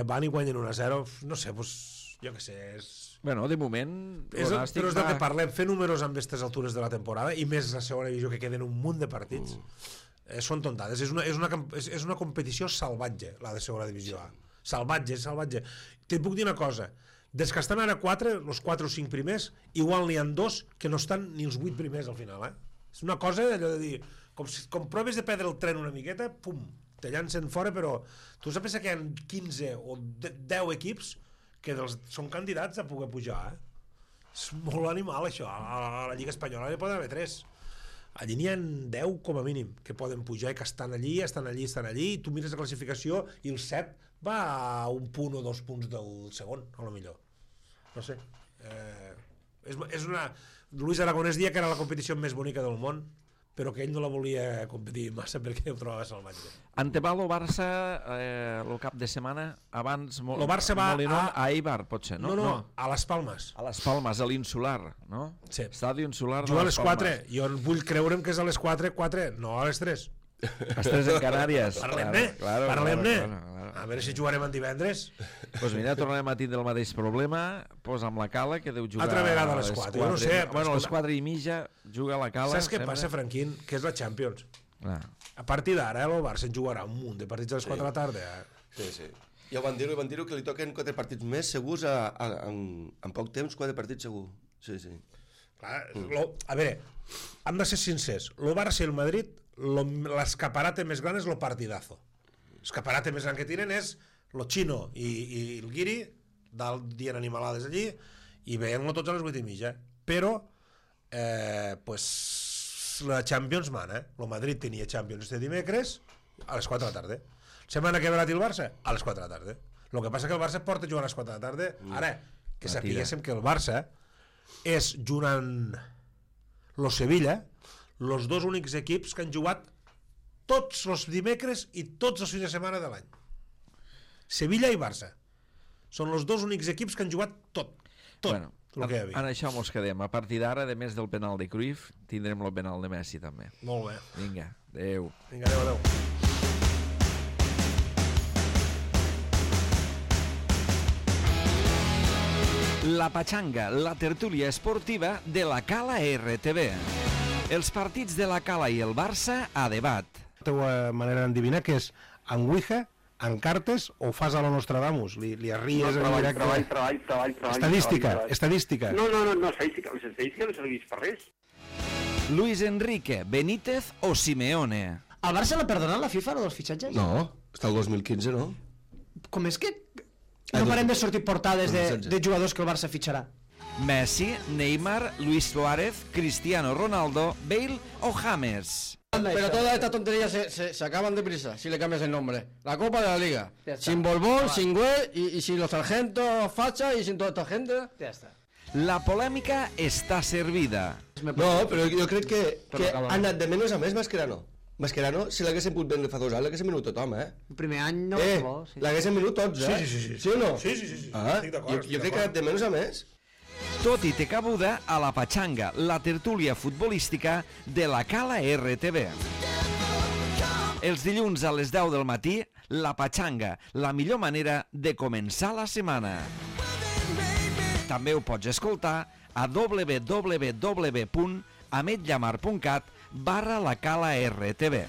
van i guanyen 1-0, no sé, pues, jo què sé, és... Bueno, de moment... Però és del que parlem, fer números amb aquestes altures de la temporada, i més la segona divisió que queden un munt de partits, són tontades. És una competició salvatge, la de segona divisió A. Salvatge. Te puc dir una cosa, des que estan ara 4, els 4 o 5 primers, igual n'hi ha 2 que no estan ni els 8 primers al final, És una cosa allò de dir, com proves de perdre el tren una miqueta, pum, te llancen fora, però tu saps que hi ha 15 o 10 equips que són candidats a poder pujar, És molt animal, això. A la Lliga Espanyola hi poden haver 3. Allí n'hi ha 10 com a mínim que poden pujar i que estan allí, i tu mires la classificació i el 7 va a un punt o 2 punts del segon, a lo millor. No sé. És una... Luis Aragonès dia que era la competició més bonica del món, però que ell no la volia competir massa perquè ho trobava salvatge. Anteval o Barça el cap de setmana abans el Barça va a Eibar, potser, no? No, a Les Palmes. A Les Palmes, a l'Insular, no? Sí. Estadi Insular de Juga a Les les 4, jo vull creure'm que és a les 4, no a les 3. Les 3 en Canàries. Parlem-ne, parlem-ne. A veure si jugarem en divendres. Doncs mira, tornarem a tindre el mateix problema, amb la Cala, que deu jugar altra vegada a les 4. Jo no sé. Bueno, a les 4 i mitja juga la Cala. Saps què passa, Franquín? Que és la Champions. A partir d'ara, el Barça en jugarà un munt de partits a les 4 de la tarda. Sí. Ja ho van dir-ho, que li toquen 4 partits més segurs en poc temps, 4 partits segur. Sí. Clar, a veure, hem de ser sincers. El Barça i el Madrid, l'escaparate més gran és el partidazo. L'escaparate més gran que tiren és el Chino i el Guiri dient animalades allí i veient-lo tots a les 8:30. Però la Champions mana. El Madrid tenia Champions este dimecres a les 4 de la tarda. Setmana que verà el Barça a les 4 de la tarda. El que passa que el Barça porta jugant a les 4 de la tarda. Ara, que sapiguéssim que el Barça és, junt amb el Sevilla, els 2 únics equips que han jugat tots els dimecres i tots els fins de setmana de l'any. Sevilla i Barça són els 2 únics equips que han jugat tot bueno, el que hi havia. En això mos quedem. A partir d'ara, a més del penal de Cruyff, tindrem el penal de Messi també. Molt bé. Vinga, adeu. Adeu. La Pachanga, la tertúlia esportiva de la Cala RTV. Els partits de la Cala i el Barça a debat. La teva manera d'endevinar que és en Ouija, en cartes o fas a la Nostradamus? Li arries en directe? Treball. Estadística. No, l'estadística no serveix per res. Luis Enrique, Benítez o Simeone? Al Barça l'ha perdonat la FIFA, dels fitxatges? No, està el 2015, no? Com és que no parem de sortir portades de jugadors que el Barça fitxarà? Messi, Neymar, Luis Suárez, Cristiano Ronaldo, Bale o James. Pero todas estas tonterías se acaban deprisa si le cambias el nombre. La Copa de la Liga. Sin Borbón, sin Güell y sin los sargentos Facha y sin toda esta gente. Ja està. La polèmica està servida. No, però jo crec que ha anat de menys a més Mascherano. Mascherano, si l'haguessin pogut vendre fa 2 anys, l'haguessin venut tothom, El primer any no bo, sí. L'haguessin venut tots, Sí. Sí o no? Sí. Estic d'acord. Jo crec que ha anat de menys a més. Tot i té cabuda a la Pachanga, la tertúlia futbolística de la Cala RTV. Els dilluns a les 10 del matí, la Pachanga, la millor manera de començar la setmana. També ho pots escoltar a www.ametllamar.cat/la Cala RTV.